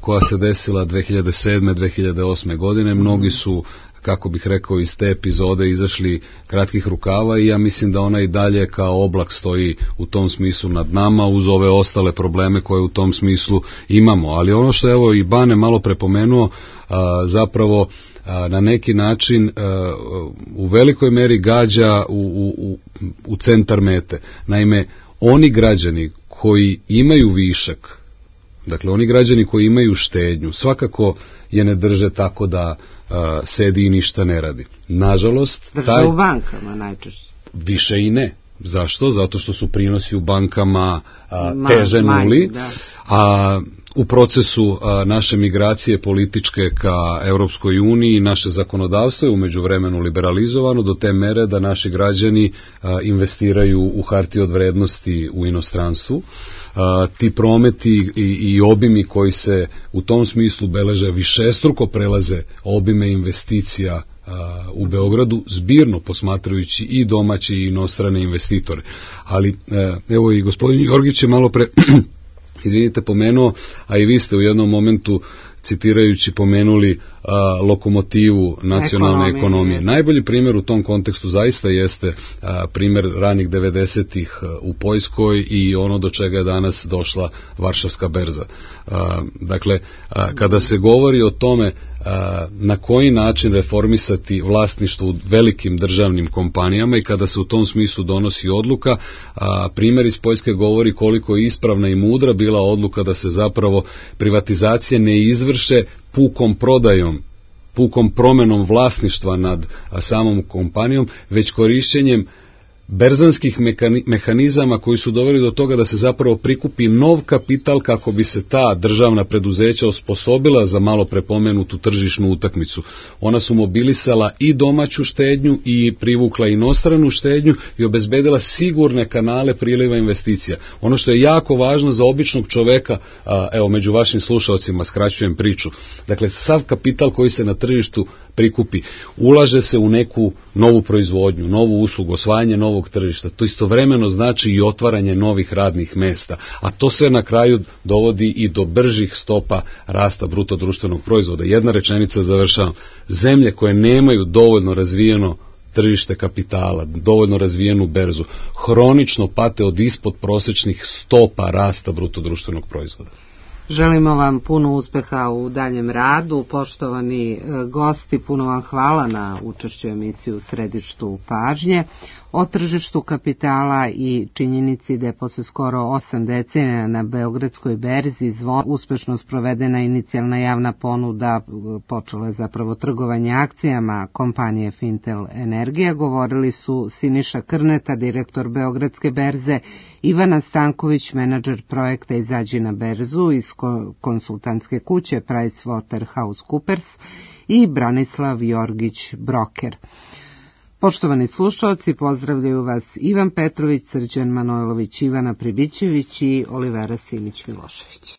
koja se desila dve hiljade sedme dve hiljade osme godine. Mnogi su, kako bih rekao, iz te epizode izašli kratkih rukava i ja mislim da ona i dalje kao oblak stoji u tom smislu nad nama uz ove ostale probleme koje u tom smislu imamo. Ali ono što evo i Bane malo prepomenuo, a, zapravo a, na neki način a, u velikoj meri gađa u, u, u centar mete. Naime, oni građani koji imaju višak, dakle oni građani koji imaju štednju, svakako je ne drže tako da uh, sedi i ništa ne radi. Nažalost, drže taj... u bankama najčešće. Više i ne. Zašto? Zato što su prinosi u bankama uh, teže nuli, a u procesu uh, naše migracije političke ka Europskoj uniji naše zakonodavstvo je umeđu vremenu liberalizovano do te mere da naši građani uh, investiraju u hartije od vrednosti u inostranstvu. Uh, ti prometi i, i obimi koji se u tom smislu beleže višestruko prelaze obime investicija uh, u Beogradu, zbirno posmatrajući i domaće i inostrane investitore. Ali uh, evo i gospodin Jorgić je malo pre izvinite pomenuo, a i vi ste u jednom momentu citirajući pomenuli a, lokomotivu nacionalne ekonomije. ekonomije. Najbolji primjer u tom kontekstu zaista jeste a, primjer ranih devedesetih u Poljskoj i ono do čega je danas došla Varšavska berza. A, dakle, a, kada se govori o tome a, na koji način reformisati vlasništvo u velikim državnim kompanijama i kada se u tom smislu donosi odluka, a, primjer iz Poljske govori koliko je ispravna i mudra bila odluka da se zapravo privatizacije ne izvrše pukom prodajom, pukom promenom vlasništva nad samom kompanijom, već korišćenjem berzanskih mehanizama koji su doveli do toga da se zapravo prikupi nov kapital kako bi se ta državna preduzeća osposobila za malo prepomenutu tržišnu utakmicu. Ona su mobilisala i domaću štednju i privukla inostranu štednju i obezbedila sigurne kanale priliva investicija. Ono što je jako važno za običnog čoveka, evo među vašim slušalcima skraćujem priču, dakle sav kapital koji se na tržištu prikupi, ulaže se u neku novu proizvodnju, novu uslugu, osvajanje novog tržišta. To istovremeno znači i otvaranje novih radnih mesta, a to sve na kraju dovodi i do bržih stopa rasta bruto društvenog proizvoda. Jedna rečenica, završavam. Zemlje koje nemaju dovoljno razvijeno tržište kapitala, dovoljno razvijenu berzu, hronično pate od ispod prosječnih stopa rasta bruto društvenog proizvoda. Želimo vam puno uspeha u daljem radu. Poštovani gosti, puno vam hvala na učešću emisiju u središtu pažnje. O tržištu kapitala i činjenici da je posle skoro osam decenija na Beogradskoj berzi Zvon uspešno sprovedena inicijalna javna ponuda, počelo je zapravo trgovanje akcijama kompanije Fintel Energija, govorili su Siniša Krneta, direktor Beogradske berze, Ivana Stanković, menadžer projekta Izađi na berzu iz konsultantske kuće PricewaterhouseCoopers i Branislav Jorgić, broker. Poštovani slušalci, pozdravljaju vas Ivan Petrović, Srđan Manojlović, Ivana Pribićević i Olivera Simić-Milošević.